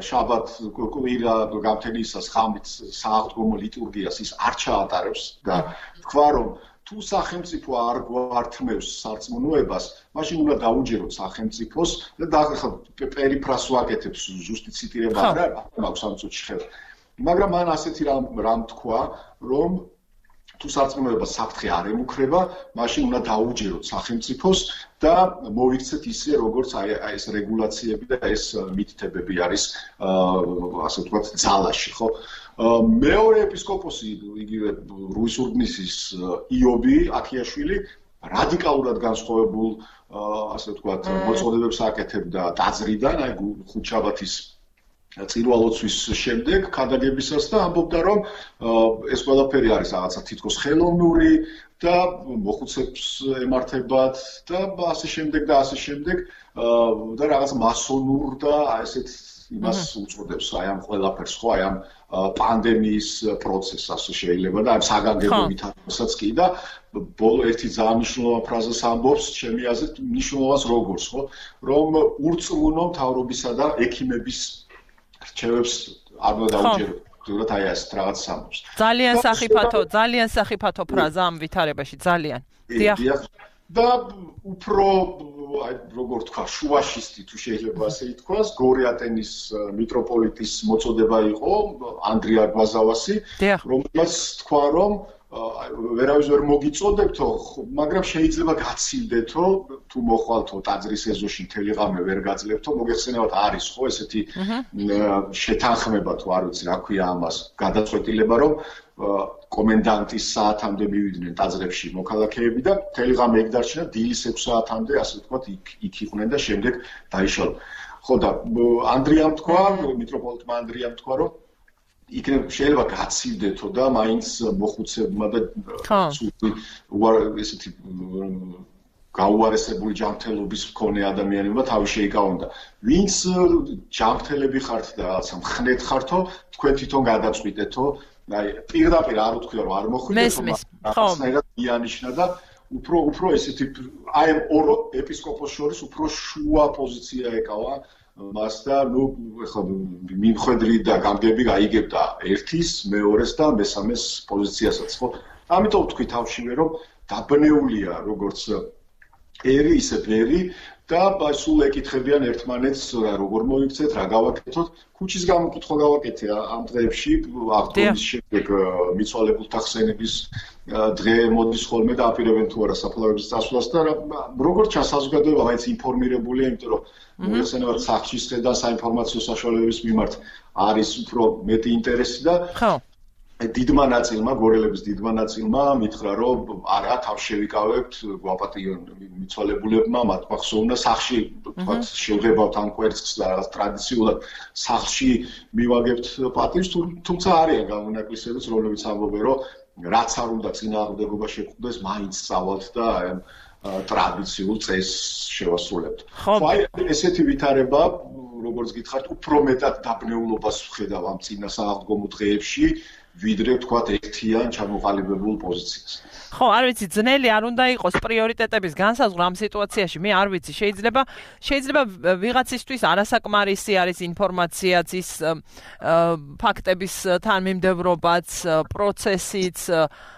შაბათ კვირა გამთენისას ღამით სააღდგომო ლიტურგიას ის არ ჩაატარებს და თქვა რომ თუ სახელმწიფო არ გვართმევს სარწმუნოებას, მაშინ უნდა დაუჯეროთ სახელმწიფოს და ახლა პერიფრას ვაკეთებს ზუსტი ციტირება არა მაქვს ამ წუთში ხელ. მაგრამ მან ასეთი რამ თქვა, რომ თუ სარწმუნოებას საფრთხე არ ემუქრება, მაშინ უნდა დაუჯეროთ სახელმწიფოს და მოიქცეთ ისე, როგორც აი ეს რეგულაციები და ეს მითითებები არის, ასე ვთქვათ, ძალაში, ხო? მეორე ეპისკოპოსი, იგივე რუისურბნისის იობი აქიაშვილი, რადიკალურად განსხვავებულ, ასე ვთქვათ, მოწოდებებს აკეთებდა ტაძრიდან, აი ხუთშაბათის წირვალოცვის შემდეგ ქადაგებისას და ამბობდა, რომ ეს ყველაფერი არის რაღაცა თითქოს ხელოვნური და მოხუცებს ემართებათ და ასე შემდეგ და ასე შემდეგ და რაღაც მასონურ და ესეთ იმას უწოდებს აი ამ ყველაფერს, ხო, აი ამ პანდემიის პროცესს ასე შეიძლება და ამ საგანგებობით ასაც კი და ბოლო ერთი ძალიან მნიშვნელოვანი ფრაზას ამბობს, ჩემი აზრით, მნიშვნელოვანს როგორც, ხო, რომ ურწმუნო მთავრობისა და ექიმების რჩევებს არ უნდა დაუჯეროთ. თუმცა აი ეს რაღაც ამბობს. ძალიან სახიფათო ფრაზა ამ ვითარებაში, ძალიან. დიახ. და უფრო აი როგორ თქვა, შუაშისტი თუ შეიძლება ასე ითქვას, გორიატენის მიტროპოლიტის მოწოდება იყო ანდრია გვაზავასი, რომელმაც თქვა, რომ ვერავის ვერ მოგიწოდებთო, მაგრამ შეიძლება გაცილდეთო, თუ მოხვალთო ტაძრის ეზოში მთელი ღამე ვერ გაძლებთო, მოგეხსენებათ არის ხო ესეთი შეთანხმება თუ არ ვიცი რა ქვია ამას, გადაწყვეტილება, რომ კომენდანტის საათამდე მივიდნენ ტაძრებში მოქალაქეები და მთელი ღამე იქ დარჩნენ, დილის 6 საათამდე, ასე ვთქვათ, იქ იყვნენ და შემდეგ დაიშალო. ხო და ანდრიამ თქვა, მიტროპოლიტმა ანდრიამ თქვა, რომ იქნებ შეიძლება გაცილდეთო და მაინც მოხუცებმა და ესეთი გაუარესებული ჯანმრთელობის მქონე ადამიანებმა თავი შეიკავონ და ვინც ჯანმრთელები ხართ და რაღაცა მხნეთ ხართო, თქვენ თვითონ გადაწყვიტეთო, აი პირდაპირ არ უთქვია რომ არ მოხვიდეთო, მაგრამ იანიშნა და უფრო ესეთი აი ამ ორ ეპისკოპოს შორის უფრო შუა პოზიცია ეკავა მას და ნუ ეხლა მიმხედრი და გამგები გაიგებდა ერთის, მეორეს და მესამეს პოზიციასაც, ხო? ამიტომ ვთქვი თავშივე რომ დაბნეულია როგორც ერი ისე ბერი და სულ ეკითხებიან ერთმანეთს როგორ მოიქცეთ, რა გავაკეთოთ. ქუჩის გამოკითხვა გავაკეთე ამ დღეებში, აღდგომის შემდეგ მიცვალებულთა ხსენების დღე მოდის ხოლმე და აპირებენ თუ არა საფლავების წასვლას და როგორც ჩანს საზოგადოება მაინც ინფორმირებულია, იმიტომ რომ მოიხსენებათ სახში და საინფორმაციო საშუალებების მიმართ არის უფრო მეტი ინტერესი და დიდმა ნაწილმა, გორელების დიდმა ნაწილმა მითხრა, რომ არა, თავს შევიკავებთ, გვაპატიონ მიცვალებულებმა, მათ მახსოვნა სახში, თქვათ, შევღებავთ ამ კვერცხს და რაღაც ტრადიციულად სახში მივაგებთ პატივს, თუმცა არიან გამონაკლისებიც, რომლებიც ამბობენ, რომ რაც არ უნდა წინააღმდეგობა შეგვხვდეს, მაინც წავალთ და ტრადიციულ წესს შევასრულებთ. აი, ესეთი ვითარება, როგორც გითხართ, უფრო მეტად დაბნეულობას ვხედავ ამ წინასააღდგომო დღეებში, ვიდრე ვთქვათ ერთიან ჩამოყალიბებულ პოზიციას. ხო, არ ვიცი, ძნელი არ უნდა იყოს პრიორიტეტების განსაზღვრა ამ სიტუაციაში. მე არ ვიცი, შეიძლება ვიღაცისთვის არასაკმარისი არის ინფორმაციაც, ის ფაქტების თანმიმდევრობაც, პროცესიც,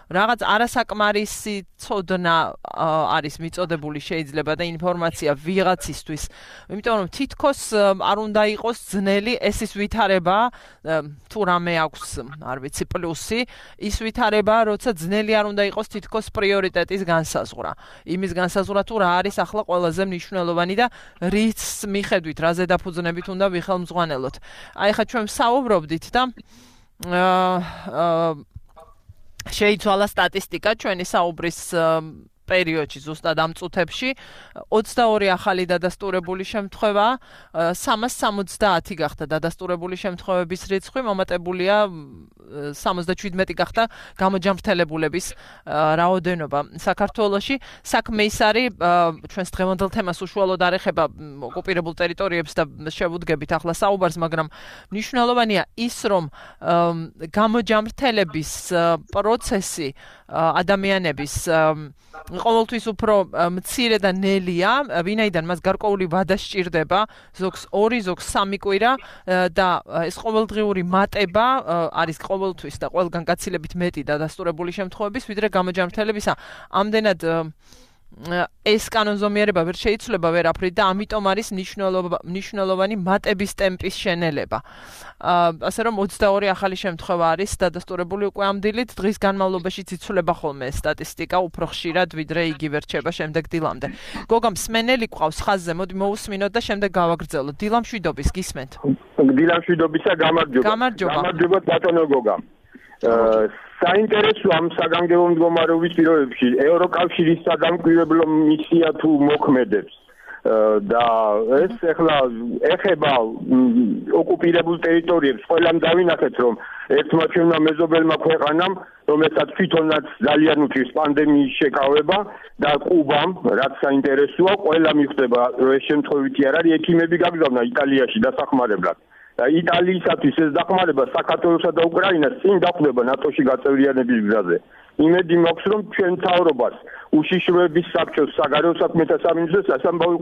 რაღაც არასაკმარისი ცოდნა არის მიწოდებული შეიძლება და ინფორმაცია ვიღაცისთვის. იმიტომ რომ თითქოს არ უნდა იყოს ძნელი ეს ის ვითარება, თუ რამე აქვს, არ ვიცი, პლუსი, ის ვითარება, როცა ძნელი არ უნდა იყოს თითქოს პრიორიტეტის განსაზღვრა. იმის განსაზღვრა თუ რა არის ახლა ყველაზე მნიშვნელოვანი და რის მიხედვით, რაზე დაფუძნებით უნდა ვიხელმძღვანელოთ. აი ხა ჩვენ საუბრობდით და შეიცვალა სტატისტიკა ჩვენი საუბრის პერიოდში, ზუსტად ამ წუთებში 22 ახალი დადასტურებული შემთხვევა, 370 გახდა დადასტურებული შემთხვევების რიცხვი, მომატებულია 77 გახდა გამოჯამრთელებულების რაოდენობა საქართველოში. საქმე ის არის, ჩვენს დღევანდელ თემას უშუალოდ არ ეხება ოკუპირებულ ტერიტორიებს და შევუდგებით ახლა საუბარს, მაგრამ მნიშვნელოვანია ის, რომ გამოჯამრთელების პროცესი ადამიანების ყოველთვის უფრო მცირე და ნელია, ვინაიდან მას გარკვეული ვადა სჭირდება, ზოგს 2, ზოგს 3 კვირა და ეს ყოველდღიური მატება არის ყოველთვის და ყველგან გაცილებით მეტი დადასტურებული შემთხვევების, ვიდრე გამოჯამრთელებისა. ამდენად ეს კანონზომიერება ვერ შეიცვლება ვერაფრით და ამიტომ არის მნიშვნელოვანი მატების ტემპის შენელება. ასე რომ 22 ახალი შემთხვევა არის დადასტურებული უკვე ამ დილით, დღის განმავლობაში იცვლება ხოლმე სტატისტიკა უფრო ხშირად, ვიდრე იგივე რჩება შემდეგ დილამდე. გოგა მსმენელი ყავს ხაზზე, მოდი მოусმინოთ და შემდეგ გავაგრძელოთ. დილა მშვიდობის, გისმენთ? დილა მშვიდობისა, გამარჯობა. გამარჯობა ბატონო გოგა. საინტერესო ამ საგანგებო მდგომარეობის პირობებში ევროკავშირის სადამკვირვებლო მისია თუ მოქმედებს და ეს ახლა ეხება ოკუპირებულ ტერიტორიებს. ყველამ დავინახეთ, რომ ერთმა ჩვენმა მეზობელმა ქვეყანამ, რომელსაც თვითონაც ძალიან უჭირს პანდემიის შეკავება და კუბამ, რაც საინტერესოა, ყველა მიხვდება, რომ ეს შემთხვევითი არ არის, ექიმები გაგზავნა იტალიაში დასახმარებლად. იტალიისათვის ეს დახმარება საქართველოსა და უკრაინას წინ დახვდება ნატოში გაწევრიანების გზაზე. იმედი მაქვს, რომ ჩვენ მთავრობას უშიშროების საბჭოს საგარეო საქმეთა სამინისტროს სასამბავი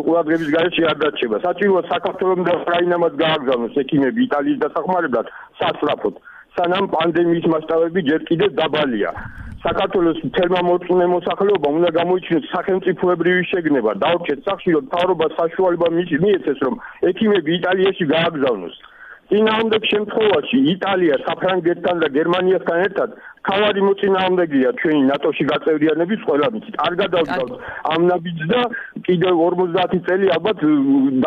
ყურადღების გარეშე არ დარჩება. საჭიროა საქართველოს და უკრაინამაც გააგზავნოს ექიმები იტალიის დასახმარებლად სასწრაფოდ, სანამ პანდემიის მასშტაბები ჯერ კიდევ დაბალია. საქართველოს თერმა მორწმუნე მოსახლეობა უნდა გამოიჩინოს სახელმწიფოებრივი შეგნება, დაურჩეთ სახში, რომ მთავრობას საშუალება მიეცეს, რომ ექიმები იტალიაში გააგზავნოს. წინააღმდეგ შემთხვევაში იტალია საფრანგეთთან და გერმანიასთან ერთად თავარი მოწინააღმდეგეა ჩვენი ნატოში გაწევრიანების ყველა მიცით. არ გადავდგავთ ამ ნაბიჯს და კიდევ 50 წელი ალბათ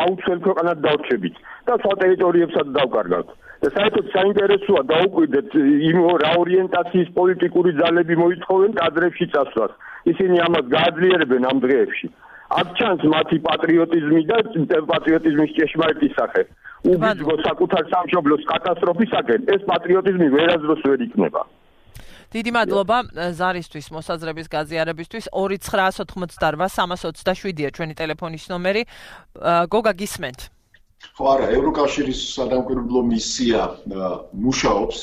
დაუცველ ქვეყანად დავრჩებით და სხვა ტერიტორიებსაც დავკარგავთ. და საერთოდ საინტერესოა დაუკვირდეთ იმ რა ორიენტაციის პოლიტიკური ძალები მოითხოვენ კადრებში წასვლას. ისინი ამას გააძლიერებენ ამ დღეებში. აქ ჩანს მათი პატრიოტიზმი და პატრიოტიზმის ჭეშმარიტი სახე. უბიძგო საკუთარ სამშობლოს კატასტროფისაკენ, ეს პატრიოტიზმი ვერასდროს ვერ იქნება. დიდი მადლობა ზარისთვის, მოსაზრების გაზიარებისთვის. 2988327-ია ჩვენი ტელეფონის ნომერი. გოგა გისმენთ? ხო არა, ევროკავშირის სადამკვირვებლო მისია მუშაობს.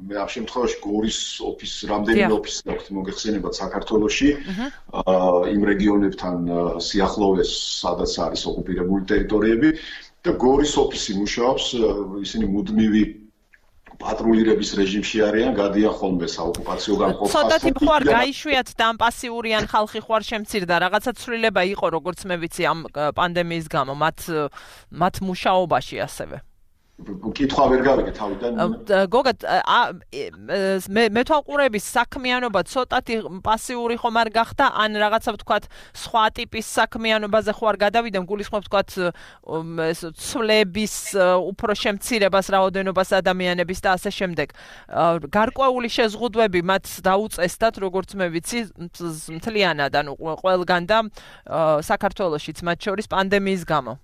მე ამ შემთხვევაში გორის ოფისს, რამდენიმე ოფისს აქვს მოგეხსენებათ საქართველოში, იმ რეგიონებთან სიახლოვეს, სადაც არის ოკუპირებული ტერიტორიები და გორის ოფისი მუშაობს, ისინი მუდმივი პატრულირების რეჟიმში არიან, გადიან ხოლმე საოკუპაციო გამყოფ ცოტათი ხوار გაიშვიათ და ამ პასიურიან ხალხი ხوار შემცირდა, რაღაცა ცვლილება იყო, როგორც მე ვიცი ამ პანდემიის გამო მათ მუშაობაში ასევე. კითხვა ვერ გავიგე თავიდან. გოგა მეთვალყურების საქმიანობა ცოტათი პასიური ხომ არ გახდა, ან რაღაცა ვთქვათ სხვა ტიპის საქმიანობაზე ხوار გადავიდა, გულისხმობ ვთქვათ ცვლების უფრო შემცირებას, რაოდენობას ადამიანების და ასე შემდეგ. გარკვეული შეზღუდვები მათ დაუწესდათ, როგორც მე ვიცი, მთლიანად, ანუ ყველგან და საქართველოშიც მათ შორის პანდემიის გამო.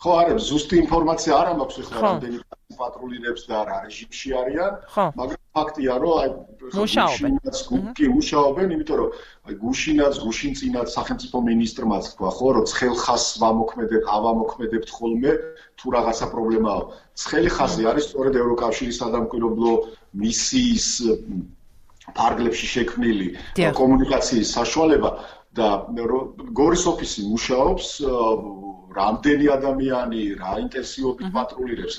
ხო, არა, ზუსტი ინფორმაცია არ მაქვს ახლა რამდენი პატრულირებს და რა რეჟიმში არიან, მაგრამ ფაქტია, რომ მუშაობენ, იმიტომ რომ გუშინწინაც სახელმწიფო მინისტრმაც თქვა, ხო, რომ ცხელ ხაზს ავამოქმედებთ ხოლმე, თუ რაღაცა პრობლემაა. ცხელი ხაზი არის სწორედ ევროკავშირის სადამკვირვებლო მისიის ფარგლებში შექმნილი კომუნიკაციის საშუალება და გორის ოფისი მუშაობს რამდენი ადამიანი რა ინტენსივობით პატრულირებს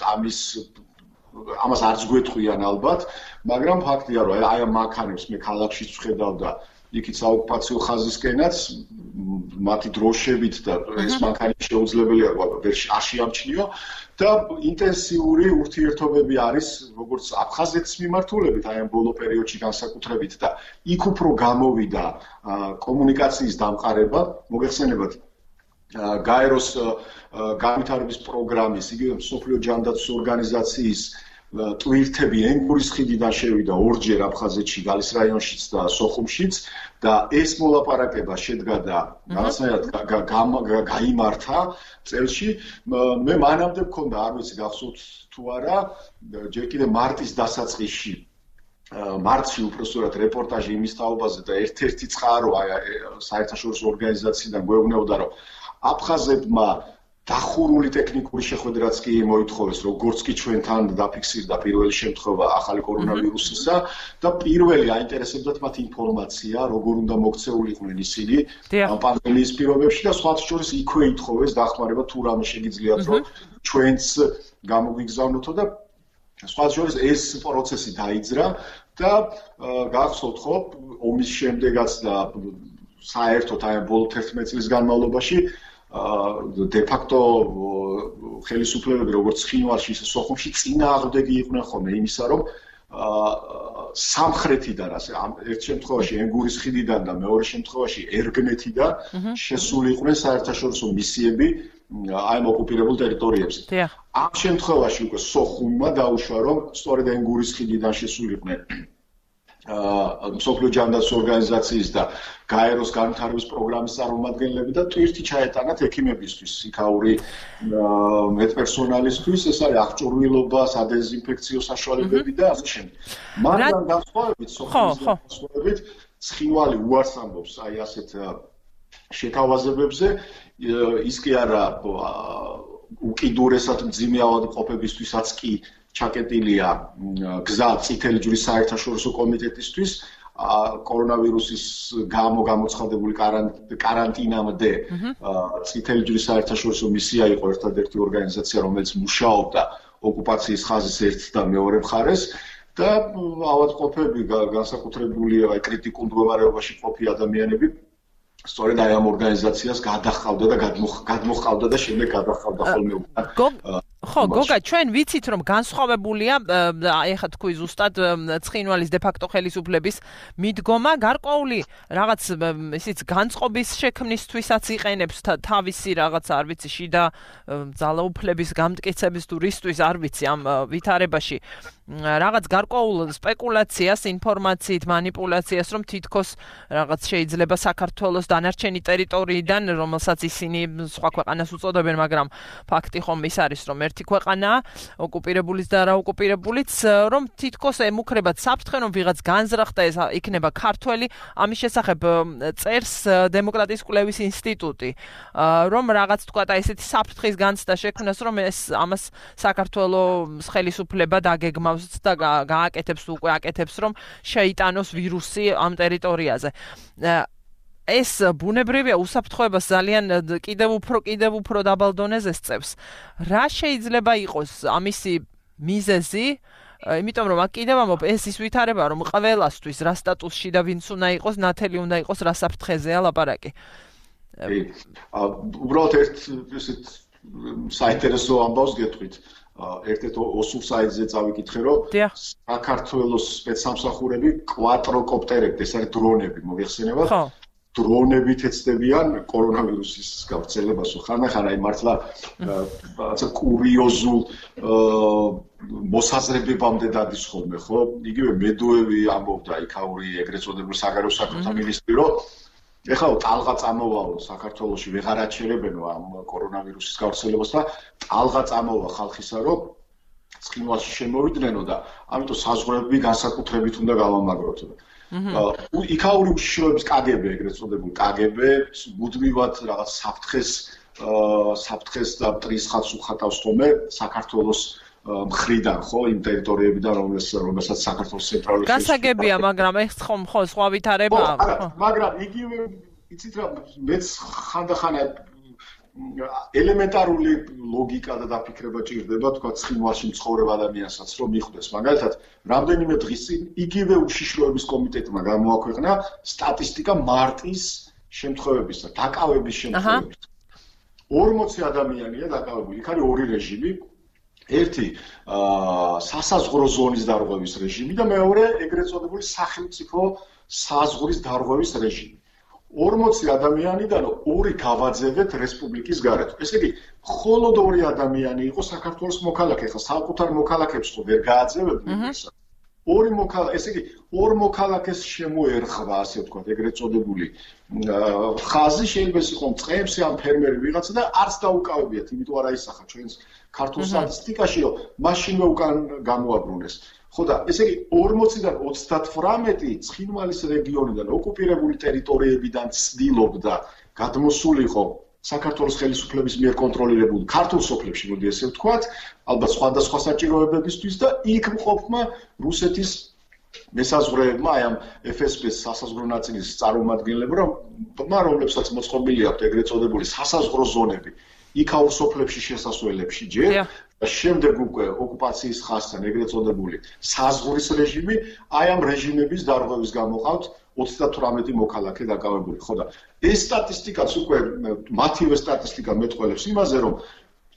ამას არც გვეთქვიან ალბათ, მაგრამ ფაქტია რომ აი ამ მანქანებს მე ქალაქშიც ვხედავ და იქით საოკუპაციო ხაზისკენაც მათი დროშებით და ეს მანქანი შეუძლებელია ვერ შეამჩნიო და ინტენსიური ურთიერთობები არის როგორც აფხაზეთის მიმართულებით აი ამ ბოლო პერიოდში განსაკუთრებით და იქ უფრო გამოვიდა კომუნიკაციის დამყარება, მოგეხსენებათ გაეროს განვითარების პროგრამის, იგივე მსოფლიო ჯანდაცვის ორგანიზაციის ტვირთები ენგურის ხიდიდან შევიდა ორჯერ აფხაზეთში, გალის რაიონშიც და სოხუმშიც და ეს მოლაპარაკება შედგა და რაღაცნაირად გაიმართა წელში. მე მანამდე მქონდა, არ ვიცი გახსოვთ თუ არა, ჯერ კიდე მარტის დასაწყისში მარტში უბრალოდ რეპორტაჟი იმის თაობაზე და ერთ-ერთი წყარო აი საერთაშორისო ორგანიზაციიდან გვეუბნებოდა რომ აფხაზებმა დახურული ტექნიკური შეხვედრაც კი მოითხოვეს, როგორც კი ჩვენთან დაფიქსირდა პირველი შემთხვევა ახალი კორონავირუსისა და პირველი აინტერესებდათ მათ ინფორმაცია, როგორ უნდა მოქცეულიყვნენ ისინი ამ პანდემიის პირობებში და სხვათა შორის იქვე ითხოვეს დახმარება თუ რამე შეგიძლიათ რომ ჩვენც გამოგვიგზავნოთო და სხვათა შორის ეს პროცესი დაიძრა და გახსოვთ ხო ომის შემდეგაც და საერთოდ აი ბოლო 11 წლის განმავლობაში de facto ხელისუფლებები როგორც ხინვალში ისე სოხუმში წინააღმდეგი იყვნენ ხოლმე იმისა რომ სამხრეთიდან ასე ერთ შემთხვევაში ენგურის ხიდიდან და მეორე შემთხვევაში ერგნეთიდან შესული იყვნენ საერთაშორისო მისიები აი ამ ოკუპირებულ ტერიტორიებზე. ამ შემთხვევაში უკვე სოხუმმა დაუშვა რომ სწორედ ენგურის ხიდიდან შესული იყვნენ მსოფლიო ჯანდაცვის ორგანიზაციის და გაეროს განვითარების პროგრამის წარმომადგენლები და ტვირთი ჩაეტანათ ექიმებისთვის, იქაური მედპერსონალისთვის, ეს არის აღჭურვილობა, სადეზინფექციო საშუალებები და ასე შემდეგ. მაგრამ განსხვავებით სოხუმის ცხინვალი უარს ამბობს აი ასეთ შეთავაზებებზე, ის კი არა უკიდურესად მძიმე ავადმყოფებისთვისაც კი ჩაკეტილია გზა წითელი ჯვრის საერთაშორისო კომიტეტისთვის კორონავირუსის გამო გამოცხადებული კარანტინამდე წითელი ჯვრის საერთაშორისო მისია იყო ერთადერთი ორგანიზაცია რომელიც მუშაობდა ოკუპაციის ხაზის ერთ და მეორე მხარეს და ავადმყოფები განსაკუთრებული აი კრიტიკულ მდგომარეობაში ყოფილი ადამიანები სწორედ აი ამ ორგანიზაციას გადაჰყავდა და გადმოჰყავდა და შემდეგ გადაჰყავდა ხოლმე ხო, გოგა, ჩვენ ვიცით რომ განსხვავებულია, აი ხა თქვი ზუსტად ცხინვალის de facto ხელისუფლების მიდგომა, გარკვეული რაღაც ისიც განწყობის შექმნისთვისაც იყენებს თავისი რაღაც, არ ვიცი, შიდა ძალაუფლების გამტკიცების თუ რისთვის, არ ვიცი, ამ ვითარებაში რაღაც გარკვეულ სპეკულაციას, ინფორმაციით, манипуляციას, რომ თითქოს რაღაც შეიძლება საქართველოს დანარჩენი ტერიტორიიდან, რომელსაც ისინი სხვა ქვეყანას უწოდებენ, მაგრამ ფაქტი ხომ ის არის, რომ ერთი ქვეყანაა, ოკუპირებულიც და არაოკუპირებულიც, რომ თითქოს ემუქრებათ საფრთხე, რომ ვიღაც განზრახდა ეს იქნება ქართველი, ამის შესახებ წერს დემოკრატიის კვლევის ინსტიტუტი, რომ რაღაც თქვა და ესეთი საფრთხის განცდა შექმნას, რომ ეს ამას საქართველოს ხელისუფლება დაგეგმავს და გააკეთებს უკვე აკეთებს რომ შეიტანოს ვირუსი ამ ტერიტორიაზე. ეს ბუნებრივია უსაფრთხოებას ძალიან კიდევ უფრო დაბალ დონეზე სწევს. რა შეიძლება იყოს ამისი მიზეზი, იმიტომ რომ აქ კიდევ ამბობ ეს ის ვითარება რომ ყველასთვის რა სტატუსში და ვინც უნდა იყოს ნათელი უნდა იყოს რა საფრთხეზეა ლაპარაკი. უბრალოდ ერთ ისეთ საინტერესო ამბავს გეტყვით. ერთ-ერთ ოსურ საიტზე წავიკითხე რომ საქართველოს სპეცსამსახურები კვატროკოპტერებით, ეს არის დრონები, მოიხსენებათ? დრონებით ეცდებიან კორონავირუსის გავრცელებას, ხანახან აი მართლა რაღაცა კურიოზულ მოსაზრებებამდე დადის ხოლმე, ხო? იგივე მედუევი ამბობდა იქაური ეგრეთ წოდებული საგარეო საქმეთა მინისტრი, რომ ეხლა ტალღა წამოვაო საქართველოში ვეღარ აჩერებენო ამ კორონავირუსის გავრცელებას და ტალღა წამოვა ხალხისა, რომ ცხინვალში შემოვიდნენ და ამიტომ საზღვრები განსაკუთრებით უნდა გავამაგროთ. იქაური უშიშროების კგბ ეგრეთ წოდებული კგბ მუდმივად რაღაც საფრთხეს და მტრის ხაზს უხატავს ხოლმე საქართველოს მხრიდან ხო იმ ტერიტორიებიდან რომელსაც საქართველოს ცენტრალური გასაგებია მაგრამ ეს ხომ ხო სხვა ვითარებაა მაგრამ იგივე იცით რა მეც ხანდახან ელემენტარული ლოგიკა და დაფიქრება ჭირდება თქვა ცხინვალში მცხოვრებ ადამიანსაც რომ მიხვდეს მაგალითად რამდენიმე დღის წინ იგივე უშიშროების კომიტეტმა გამოაქვეყნა სტატისტიკა მარტის შემთხვევების და დაკავების შემთხვევების 40 ადამიანია დაკავებული იქ არის ორი რეჟიმი ერთი სასაზღვრო ზონის დარღვევის რეჟიმი და მეორე ეგრეთ წოდებული სახელმწიფო საზღვრის დარღვევის რეჟიმი 40 ადამიანიდან ორი გავაძევეთ რესპუბლიკის გარეთ. ესე იგი, მხოლოდ ორი ადამიანი იყო საქართველოს მოქალაქე, ხა საკუთარ მოქალაქეებს ხო ვერ გააძევებდნენ ესა. ორი მოქალაქე, ესე იგი, ორ მოქალაქეს შემოერხვა, ასე ვთქვათ, ეგრეთ წოდებული ხაზი შეიძლება იყოს წყემსი ამ ფერმერი ვიღაცა და არც დაუკავებიათ, იმიტომ არ აისახა ჩვენს ქართულ სტატისტიკაში, რომ მაშინვე უკან გამოაბრუნეს. ხო და ესე იგი 40-დან 38 ცხინვალის რეგიონიდან ოკუპირებული ტერიტორიებიდან ცდილობდა გადმოსულიყო საქართველოს ხელისუფლების მიერ კონტროლირებულ ქართულ სოფლებში, მოდი ესე ვთქვათ, ალბათ სხვადასხვა საჭიროებებისთვის და იქ მყოფმა რუსეთის მესაზღვრეებმა, აი ამ FSB-ს სასაზღვრო ნაწილის წარმომადგენლებმა, რომლებსაც მოწყობილი აქვთ ეგრეთ წოდებული სასაზღვრო ზონები, იქაურ სოფლებში შესასვლელებში ჯერ და შემდეგ უკვე ოკუპაციის ხაზთან ეგრეთ წოდებული საზღვრის რეჟიმი, აი ამ რეჟიმების დარღვევის გამო ყავთ 38 მოქალაქე დაკავებული. ხო და ეს სტატისტიკაც უკვე მათივე სტატისტიკა მეტყველებს იმაზე, რომ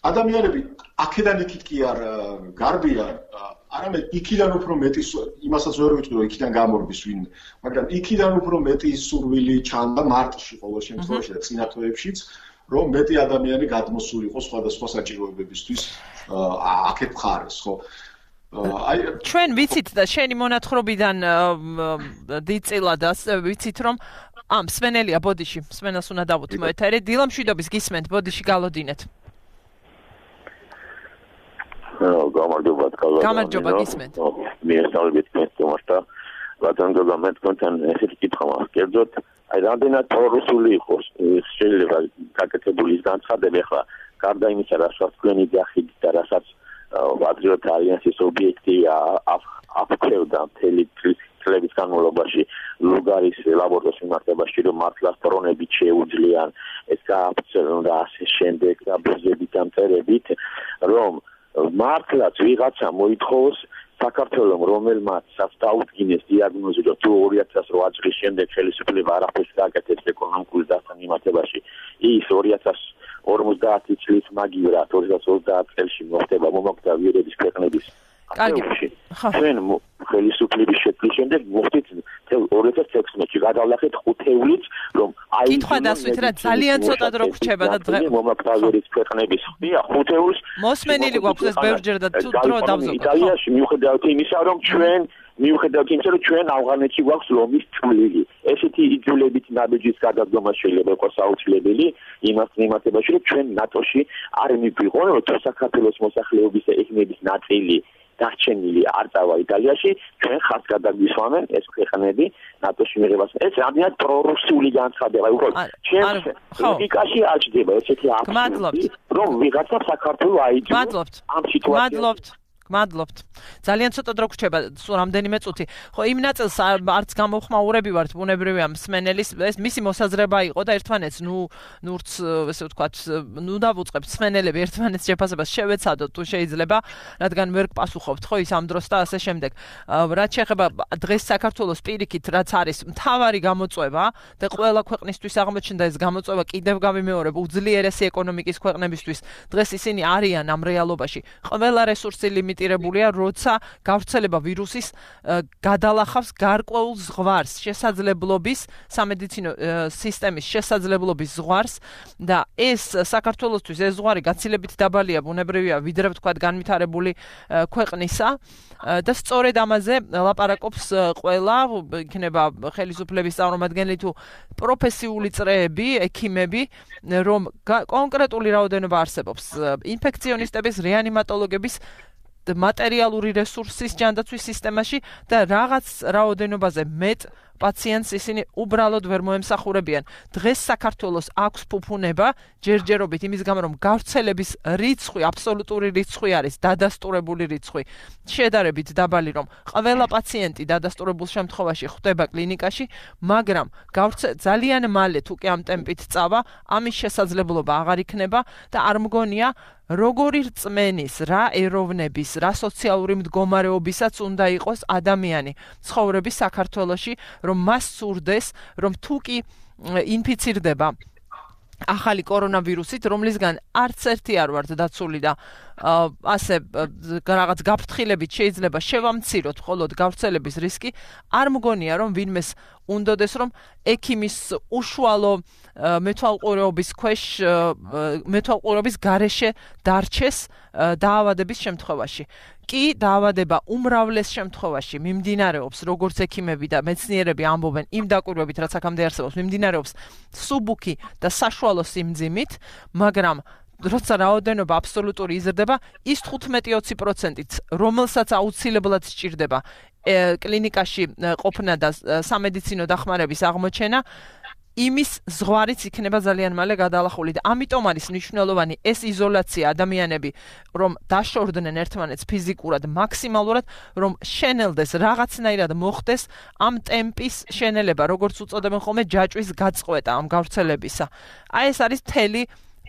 ადამიანები აქედან იქით კი არ გარბიან, არამედ იქიდან უფრო მეტი იმასაც ვერ ვიტყვი, რომ იქიდან გამორბის ვინმე, მაგრამ იქიდან უფრო მეტი სურვილი ჩანდა მარტში ყოველ შემთხვევაში და წინა თვეებშიც რომ მეტი ადამიანი გადმოსული იყო სხვადასხვა საჭიროებებისთვის აქეთ მხარეს, ხო? აი ჩვენ ვიცით და შენი მონათხრობიდან დიწილად ვიცით რომ მსმენელია ბოდიში, მსმენელს უნდა დავუთმო ეთერი, დილა მშვიდობის გისმენთ, ბოდიში გალოდინეთ. გამარჯობა გისმენთ. მიესალმებით მესტომართა, ბატონო მე თქვენთან ესეთი კითხვა მაქვს, კერძოდ აი რამდენად პრორუსული იყოს შეიძლება გაკეთებული ის განცხადები ახლა გარდა იმისა რასაც თქვენი დახიდით და რასაც პატრიოტ ალიანსის ობიექტი აფრთხებდა მთელი წლების განმავლობაში ლუგარის ლაბორატორიის მიმართებაში რომ მართლაც დრონებით შეუძლიან ეს გააფრთხილონ და ასე შემდეგ და ბუზებით ამწერებით რომ მართლაც ვიღაცა მოითხოვს საქართველოს რომელმაც დაუდგინეს დიაგნოზი რომ თუ 2008 წლის შემდეგ ხელისუფლება არაფერს გააკეთებს ეკონომიკური დასთან მიმართებაში ის 2050 წლის მაგივრად 2030 წელს მოხდება მომაკვდავიერების ქვეყნების კარგი ჩვენ ხელისუფლების შექმნის შემდეგ მოხდით 2016-ში გადავლახეთ 5 ივლისს რომ აი კითხვა დასვით რა ძალიან ცოტა დრო გრჩება და დღე მომაკვდავიერების ქვეყნების ხდია 5 ივლისს მოსმენილი გვაქვს ეს ბევრჯერ და თუ დრო დავზოგოთ იტალიაში მიუხედავად იმისა რომ ჩვენ ავღანეთში გვაქვს ლომის წვლილი ესეთი იძულებით ნაბიჯის გადადგომა შეიძლება იყოს აუცილებელი იმას მიმართებაში რომ ჩვენ ნატოში არ მივიღონ რომ საქართველოს მოსახლეობის ეთნების ნაწილი დარჩენილი არ წავა იტალიაში ჩვენ ხართ გადაგვისვამენ ეს ქვეყნები ნატოში მიღებას ეს რამდენად პრორუსული განცხადება უბრალოდ ჩვენ ლოგიკაში არ ჩდება ესეთი აბსურდი რომ ვიღაცა საქართველოს აიძულებს ამ სიტუაციას მადლობთ. ძალიან ცოტა დრო გრჩება, სულ რამდენიმე წუთი. ხო, იმ ნაწილს არც გამოხმაურები ვართ, ბუნებრივია მსმენელის, ეს მისი მოსაზრება იყო და ერთმანეთს, ნურც, ესე ვთქვათ, დავუწყებთ მსმენელები ერთმანეთს შეფასებას შევეცადოთ თუ შეიძლება, რადგან ვერ გპასუხობთ, ხო, ის ამ დროს და ასე შემდეგ. რაც შეეხება დღეს საქართველოს პირიქით, რაც არის მთავარი გამოწვევა და ყველა ქვეყნისთვის აღმოჩნდა ეს გამოწვევა, კიდევ გავიმეორებ, უძლიერესი ეკონომიკის ქვეყნებისთვის. დღეს ისინი არიან ამ რეალობაში. ყველა რესურსი ლიმიტირებულია, როცა გავრცელება ვირუსის გადალახავს გარკვეულ ზღვარს, შესაძლებლობის, სამედიცინო სისტემის შესაძლებლობის ზღვარს და ეს საქართველოსთვის ეს ზღვარი გაცილებით დაბალია, ბუნებრივია, ვიდრე ვთქვათ განვითარებული ქვეყნისა და სწორედ ამაზე ლაპარაკობს ყველა, იქნება ხელისუფლების წარმომადგენელი თუ პროფესიული წრეები, ექიმები, რომ კონკრეტული რაოდენობა არსებობს ინფექციონისტების, რეანიმატოლოგების მატერიალური რესურსის ჯანდაცვის სისტემაში და რაღაც რაოდენობაზე მეტ პაციენტს ისინი უბრალოდ ვერ მოემსახურებიან. დღეს საქართველოს აქვს ფუფუნება ჯერჯერობით იმის გამო რომ გავრცელების რიცხვი, აბსოლუტური რიცხვი არის დადასტურებული რიცხვი. შედარებით დაბალი რომ ყველა პაციენტი დადასტურებულ შემთხვევაში ხვდება კლინიკაში, მაგრამ ძალიან მალე თუ კი ამ ტემპით წავა, ამის შესაძლებლობა აღარ იქნება და არ მგონია როგორი რწმენის, რა ეროვნების, რა სოციალური მდგომარეობისაც უნდა იყოს ადამიანი ცხოვრების საქართველოში, რომ მას სურდეს, რომ თუ კი ინფიცირდება ახალი კორონავირუსით, რომლისგან არც ერთი არ ვართ დაცული და ასე რაღაც გაფრთხილებით შეიძლება შევამციროთ მხოლოდ გავრცელების რისკი, არ მგონია რომ ვინმეს უნდოდეს რომ ექიმის უშუალო მეთვალყურეობის გარეშე დარჩეს დაავადების შემთხვევაში. კი დაავადება უმრავლეს შემთხვევაში მიმდინარეობს, როგორც ექიმები და მეცნიერები ამბობენ, იმ დაკვირვებით, რაც აქამდე არსებობს, მიმდინარეობს სუბუქი და საშუალო სიმძიმით, მაგრამ როცა რაოდენობა აბსოლუტური იზრდება, ის 15-20%-ით, რომელსაც აუცილებლად სჭირდება კლინიკაში ყოფნა და სამედიცინო დახმარების აღმოჩენა, იმის ზღვარიც იქნება ძალიან მალე გადალახული და ამიტომ არის მნიშვნელოვანი ეს იზოლაცია ადამიანები, რომ დაშორდნენ ერთმანეთს ფიზიკურად, მაქსიმალურად, რომ შენელდეს, რაღაცნაირად მოხდეს ამ ტემპის შენელება, როგორც უწოდებენ ხოლმე ჯაჭვის გაწყვეტა ამ გავრცელებისა. აი ეს არის მთელი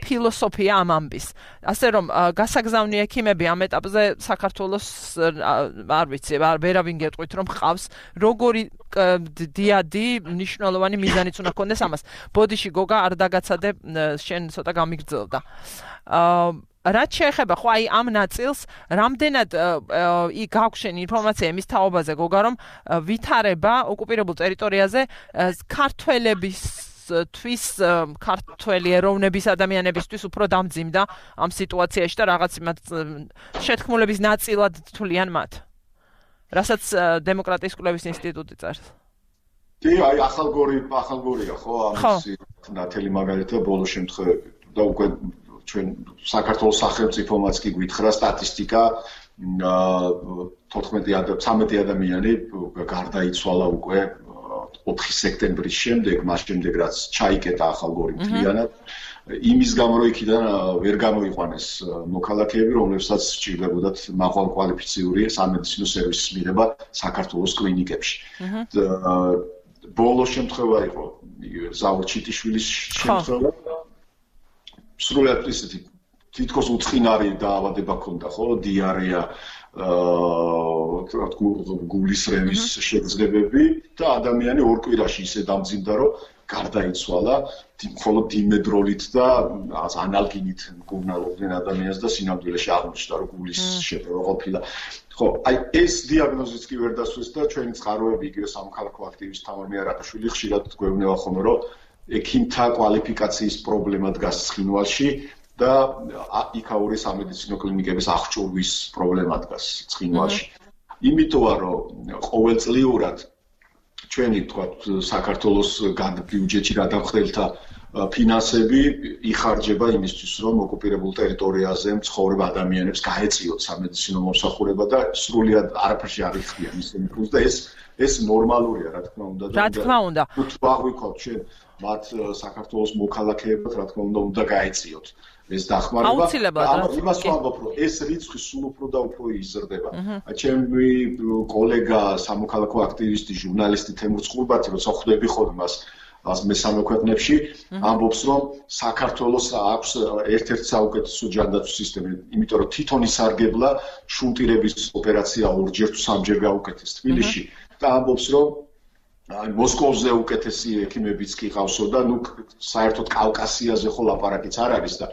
ფილოსოფია ამ ამბის. ასე რომ გასაგზავნი ექიმები ამ ეტაპზე საქართველოს არ ვიცი, ვერავინ გეტყვით რომ ხავს როგორი დიადი მნიშვნელოვანი მიზანიც უნდა ქონდეს ამას. ბოდიში გოგა არ დაგაცადე, შენ ცოტა გამიგრძელდა. რაც შეეხება ხო აი ამ ნაწილს, რამდენად გაგვშენ ინფორმაცია იმის თაობაზე გოგა რომ ვითარება ოკუპირებულ ტერიტორიაზე ქართველების თვის ქართველი ეროვნების ადამიანებისთვის უფრო დამძიმდა ამ სიტუაციაში და რაღაც შეთქმულების ნაწილად თვლიან მათ. რასაც დემოკრატიის კვლევის ინსტიტუტი წერს. კი, აი ახალგორია ხო ამის ნათელი მაგალითია ბოლო შემთხვევები და უკვე ჩვენ საქართველოს სახელმწიფომაც კი გვითხრა სტატისტიკა 13 ადამიანი გარდაიცვალა უკვე 4 სექტემბრის შემდეგ, მას შემდეგ რაც ჩაიკეტა ახალგორი მთლიანად, იმის გამო რომ იქიდან ვერ გამოიყვანეს მოქალაქეები, რომლებსაც სჭირდებოდათ მაღალკვალიფიციური სამედიცინო სერვისის მიღება საქართველოს კლინიკებში. ბოლო შემთხვევა იყო ზაურ ჩიტიშვილის შემთხვევა. სრულად ისეთი თითქოს უცხინარი დაავადება ჰქონდა, ხო, დიარეა, გულის რემის შეგრძნებები და ადამიანი ორ კვირაში ისე დამძიმდა, რომ გარდაიცვალა, მხოლოდ დიმედროლით და ანალგინით მკურნალობდნენ ადამიანს და სინამდვილეში აღმოჩნდა, რომ გულის შეტევა ყოფილა. ხო, აი ეს დიაგნოზიც კი ვერ დასვეს და ჩვენი წყაროები იგივე სამოქალაქო აქტივისტ თამარ მეარატაშვილი ხშირად გვევნება ხოლმე, რომ ექიმთა კვალიფიკაციის პრობლემა დგას ცხინვალში და იქაური სამედიცინო კლინიკების აღჭურვის პრობლემა დგას ცხინვალში. იმიტომა რომ ყოველწლიურად ჩვენი თქვათ საქართველოს ბიუჯეტში გადამხდელთა ფინანსები იხარჯება იმისთვის, რომ ოკუპირებულ ტერიტორიაზე მცხოვრებ ადამიანებს გაეწიოთ სამედიცინო მომსახურება და სრულად არაფერში არ იხდიან ისინი ფულს და ეს ნორმალურია, რა თქმა უნდა. რა თქმა უნდა. თუ აღვიქვათ ჩვენ მათ საქართველოს მოქალაქეებად, რა თქმა უნდა, უნდა გაეწიოთ ეს დახმარება აუცილებლად იმას ვამბობ რომ ეს რიცხვი სულ უფრო და უფრო იზრდება ჩემი კოლეგა სამოქალაქო აქტივისტი ჟურნალისტი თემურ წყურბათი როცა ხვდები ხოლმე მას მესამე ქვეყნებში ამბობს რომ საქართველოს აქვს ერთ-ერთი საუკეთესო ჯანდაცვის სისტემა იმიტომ რომ თვითონ ისარგებლა შუნტირების ოპერაცია ორჯერ თუ სამჯერ გაუკეთეს თბილისში და ამბობს რომ მოსკოვზე უკეთესი ექიმებიც კი ყავსო და ნუ საერთოდ კავკასიაზე ხო ლაპარაკიც არ არის და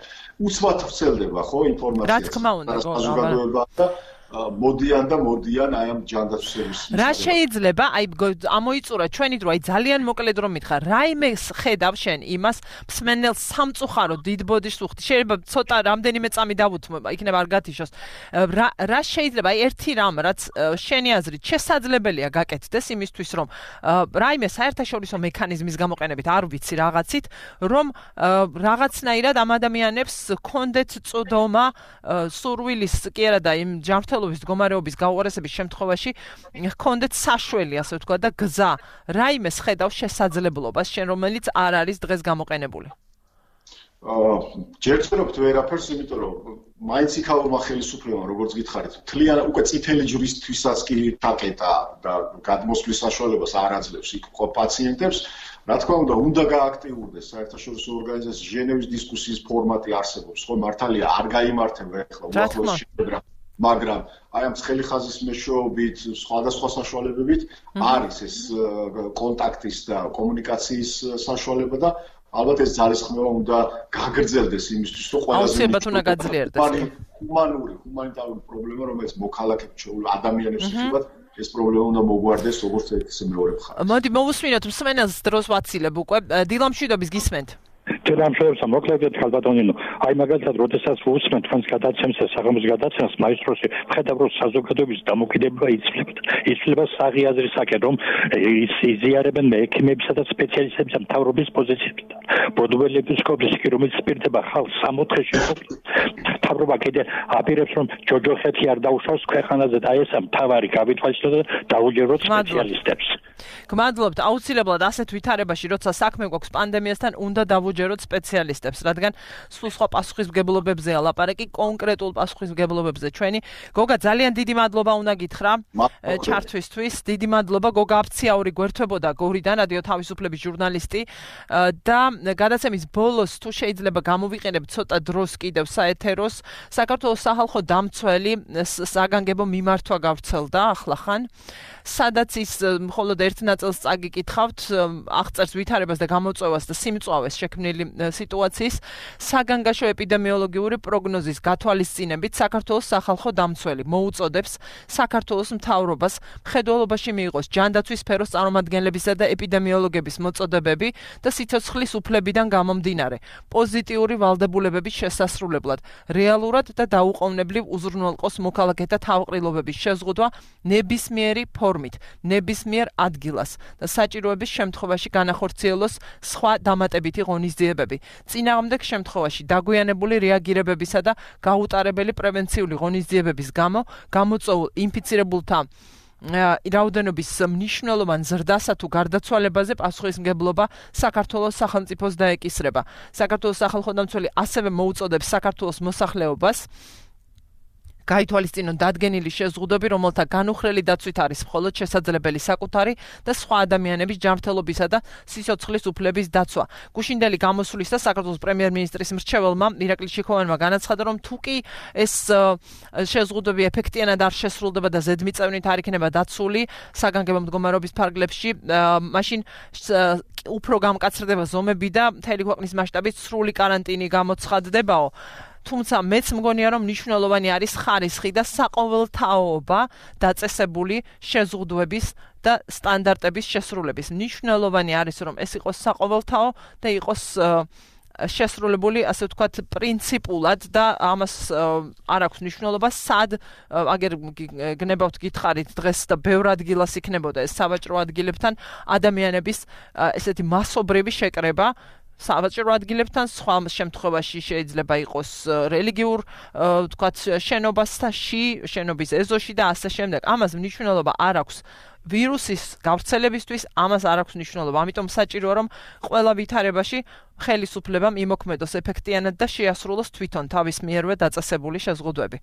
უცბად ვრცელდება ხო ინფორმაცია რა თქმა უნდა და მოდიან აი ამ ჯანდაცვის სერვისში რა შეიძლება აი ამოიწურა ჩვენი დრო აი ძალიან მოკლედ რომ მითხრა რაიმე ხედავ შენ იმას მსმენელ სამწუხარო დიდ ბოდიშს უხდი შეიძლება ცოტა რამდენიმე წამი დავუთმო იქნება არ გათიშოს რა შეიძლება აი ერთი რამ რაც შენი აზრით შესაძლებელია გაკეთდეს იმისთვის რომ რაიმე საერთაშორისო მექანიზმის გამოყენებით არ ვიცი რაღაცით რომ რაღაცნაირად ამ ადამიანებს კონდეთ წოდომა სურვილის კი არა და იმ ჯანმრთელობის მდგომარეობის გაუარესების შემთხვევაში ჰქონდეთ საშველი ასე ვთქვათ და გზა რაიმეს ხედავს შესაძლებლობას შენ რომელიც არ არის დღეს გამოყენებული ჯერ ვწერობთ ვერაფერს იმიტომ რომ მაინც იქაურმა ხელისუფლებამ როგორც გითხარით თლიან უკვე წითელი ჯვრისთვისაც კი დაკეტა და გადმოსვლის საშუალებას არ აძლევს იქ ხო პაციენტებს რა თქმა უნდა გააქტიურდეს საერთაშორისო ორგანიზაციის ჟენევის დისკუსიის ფორმატი არსებობს ხო მართალია არ გაიმართება ახლა უახლოეს შეხვედრა მაგრამ აი ამ ცხელი ხაზის მეშვეობით სხვადასხვა საშუალებებით არის ეს კონტაქტის და კომუნიკაციის საშუალება და ალბათ ეს ძალისხმევა უნდა გაგრძელდეს იმისთვის რომ ყველაზე უნდა გაძლიერდეს ჰუმანიტარული პრობლემა რომელიც მოქალაქეებს ადამიანებს ეხება ეს პრობლემა უნდა მოგვარდეს როგორც ერთი მეორე მხარე მოდი მოვუსმინოთ მსმენელს დროს ვაცილებ უკვე დილამშვიდობის გისმენთ Tēlāmšēvs moklēdiet kalbatoninu. Ai მაგალითად, როდესაც ვუსმენ თქვენს გადაცემს და საღამოს გადაცემს მაისტროსი, ხედავ რომ საზოგადოების დამოკიდებულება იცვლება საღი აზრისაკენ, რომ იზიარებენ ექიმებისა და სპეციალისტების მთავრობის პოზიციებიდან. ბროდველი ეპისკოპოსი კი რომელიც სპირდება ხალხს 60-ში მთავრობა კიდე აპირებს რომ ჯოჯოხეთი არ დაუშავს ქვეყანაზე და ეს მთავარი გავითვალისწინოს და დაუჯეროთ სპეციალისტებს. გმადლობთ, აუცილებლად ასეთ ვითარებაში, როცა საქმე გვაქვს პანდემიასთან, უნდა დავუჯეროთ სპეციალისტებს, რადგან სულ სხვა პასუხისმგებლობებზეა ლაპარაკი, კონკრეტულ პასუხისმგებლობებზე ჩვენი. გოგა, ძალიან დიდი მადლობა უნდა გითხრა ჩართვისთვის. დიდი მადლობა გოგა აფციაური გვერდთვებოდა გორიდან, რადიო თავისუფლების ჟურნალისტი და გადაცემის ბოლოს თუ შეიძლება გამოვიყენებ ცოტა დროს კიდევ საეთეროს, საქართველოს სახალხო დამცველი საგანგებო მიმართვა გავრცელდა ახლახან. სადაც ის მხოლოდ ერთ ნაწილს წაგიკითხავთ აღწერს ვითარებას და გამოწვევას და სიმწვავეს შექმნილი სიტუაციის საგანგაშო ეპიდემიოლოგიური პროგნოზის გათვალისწინებით საქართველოს სახალხო დამცველი მოუწოდებს საქართველოს მთავრობას მხედველობაში მიიღოს ჯანდაცვის სფეროს წარმომადგენლებისა და ეპიდემიოლოგების მოწოდებები და სიცოცხლის უფლებიდან გამომდინარე პოზიტიური ვალდებულებების შესასრულებლად რეალურად და დაუყოვნებლივ უზრუნველყოს მოქალაქეთა თავყრილობების შეზღუდვა ნებისმიერი ნებისმიერ ადგილას და საჭიროების შემთხვევაში განახორციელოს სხვა დამატებითი ღონისძიებები. წინააღმდეგ შემთხვევაში დაგვიანებული რეაგირებებისა და გაუტარებელი პრევენციული ღონისძიებების გამო გამოწვეულ ინფიცირებულთა რაოდენობის მნიშვნელოვან ზრდასა თუ გარდაცვალებაზე პასუხისმგებლობა საქართველოს სახელმწიფოს დაეკისრება. საქართველოს სახალხო დამცველი ასევე მოუწოდებს საქართველოს მოსახლეობას გაითვალისწინონ დადგენილი შეზღუდვები, რომელთა განუხრელი დაცვით არის მხოლოდ შესაძლებელი საკუთარი და სხვა ადამიანების ჯანმრთელობისა და სიცოცხლის უფლების დაცვა. გუშინდელი გამოსვლის და საქართველოს პრემიერ-მინისტრის მრჩეველმა ირაკლი შიქოვანმა განაცხადა, რომ თუ კი ეს შეზღუდვები ეფექტიანად არ შესრულდება და ზედმიწევნით არ იქნება დაცული საგანგებო მდგომარეობის ფარგლებში, მაშინ უფრო გამკაცრდება ზომები და მთელი ქვეყნის მასშტაბით სრული კარანტინი გამოცხადდებაო. თუმცა მეც მგონია რომ მნიშვნელოვანი არის ხარისხი და საყოველთაობა დაწესებული შეზღუდვების და სტანდარტების შესრულების. მნიშვნელოვანი არის რომ ეს იყოს საყოველთაო და იყოს შესრულებული ასე ვთქვათ პრინციპულად და ამას არ აქვს მნიშვნელობა სად აგერ გნებავთ გითხარით დღეს და ბევრ ადგილას იქნებოდა ეს სავაჭრო ადგილებთან ადამიანების ესეთი მასობრივი შეკრება სავაჭრო ადგილებთან, სხვა შემთხვევაში შეიძლება იყოს რელიგიურ, თქვათ, შენობის ეზოში და ასე შემდეგ. ამას მნიშვნელობა არ აქვს ვირუსის გავრცელებისთვის, ამას არ აქვს მნიშვნელობა. ამიტომ საჭიროა, რომ ყველა ვითარებაში ხელისუფლებამ იმოქმედოს ეფექტიანად და შეასრულოს თვითონ თავის მიერვე დაწესებული შეზღუდვები.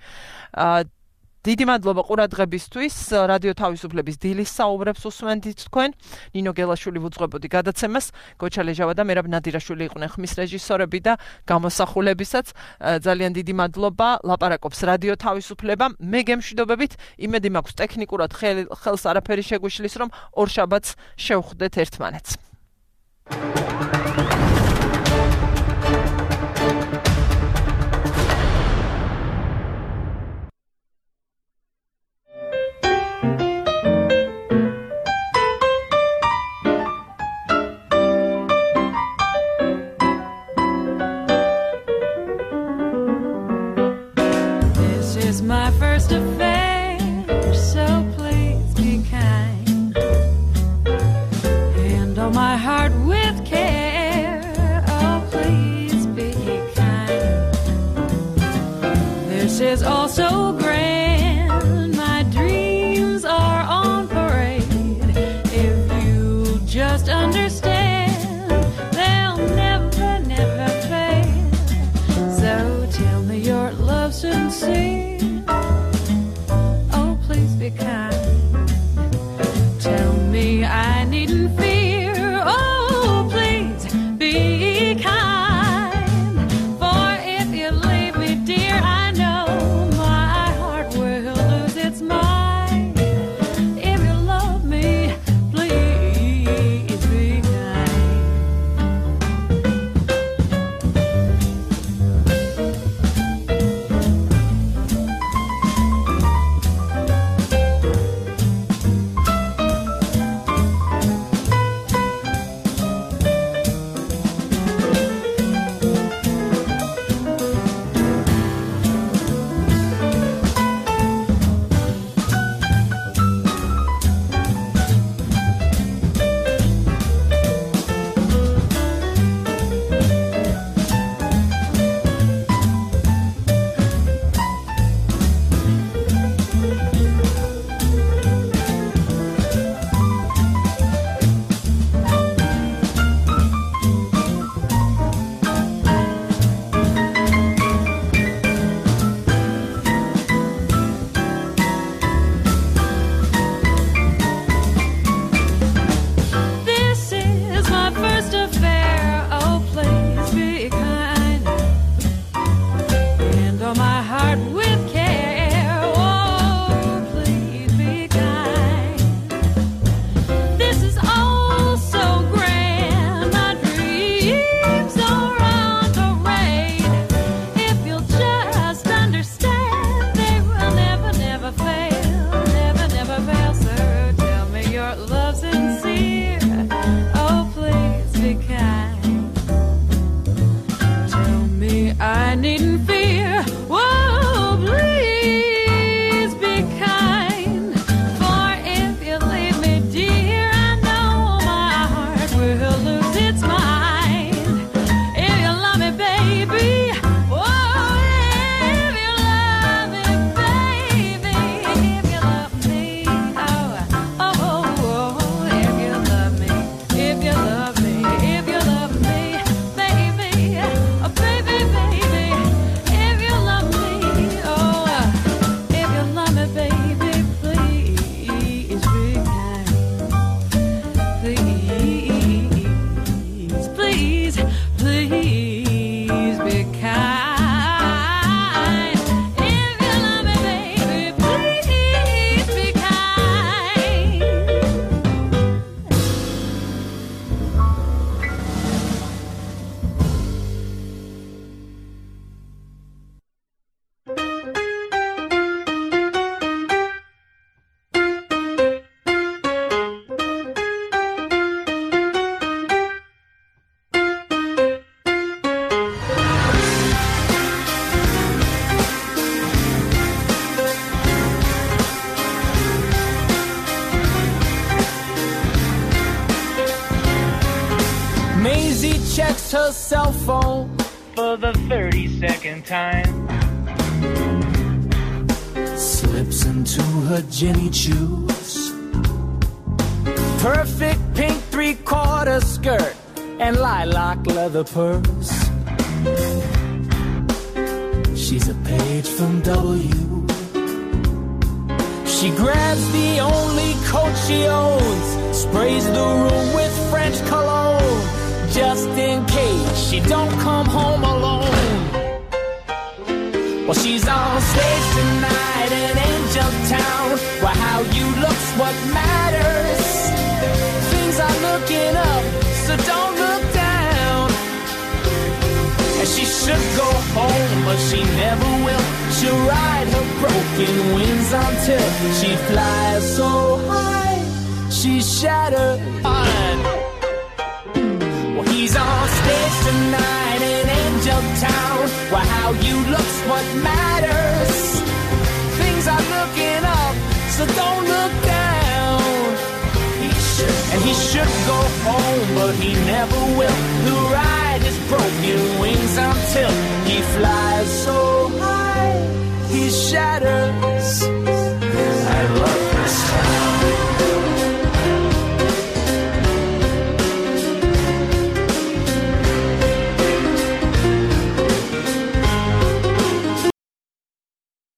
დიდი მადლობა ყურადღებისთვის. რადიო თავისუფლების დილის საუბრებს უსმენთ თქვენ. ნინო გელაშვილი ვუძღვებოდი გადაცემას. გოჩა ლეჟავა და მერაბ ნადირაშვილი იყვნენ ხმის რეჟისორები და გამოსახულებისაც. ძალიან დიდი მადლობა. ლაპარაკობს რადიო თავისუფლება. მე გემშვიდობებით, იმედი მაქვს ტექნიკურად ხელს არაფერი შეგვიშლის, რომ ორ შაბათს შევხვდეთ ერთმანეთს. My first affair, so please be kind. Handle my heart with care, oh please be kind. This is all so grand, my dreams are on parade. If you just understand, they'll never, never fade. So tell me your love sincere, be kind. Tell me I needn't fear. Oh, please be kind. For if you leave me, dear, I know my heart will checks her cell phone for the 32nd time. Slips into her Jenny Choos. Perfect pink 3/4 skirt and lilac leather purse. She's a page from W. She grabs the only coat she owns, sprays the room with French cologne, just in case she don't come home alone. Well, she's on stage tonight in Angel Town, where how you look's what matters. Things are looking up, so don't look down. And she should go home, but she never will. She'll ride her broken wings until she flies so high, she's shattered. Well, he's on stage tonight in Angel Town, where how you look's what matters. Things are looking up, so don't look down. And he should go home, but he never will. He'll ride his broken wings until he flies so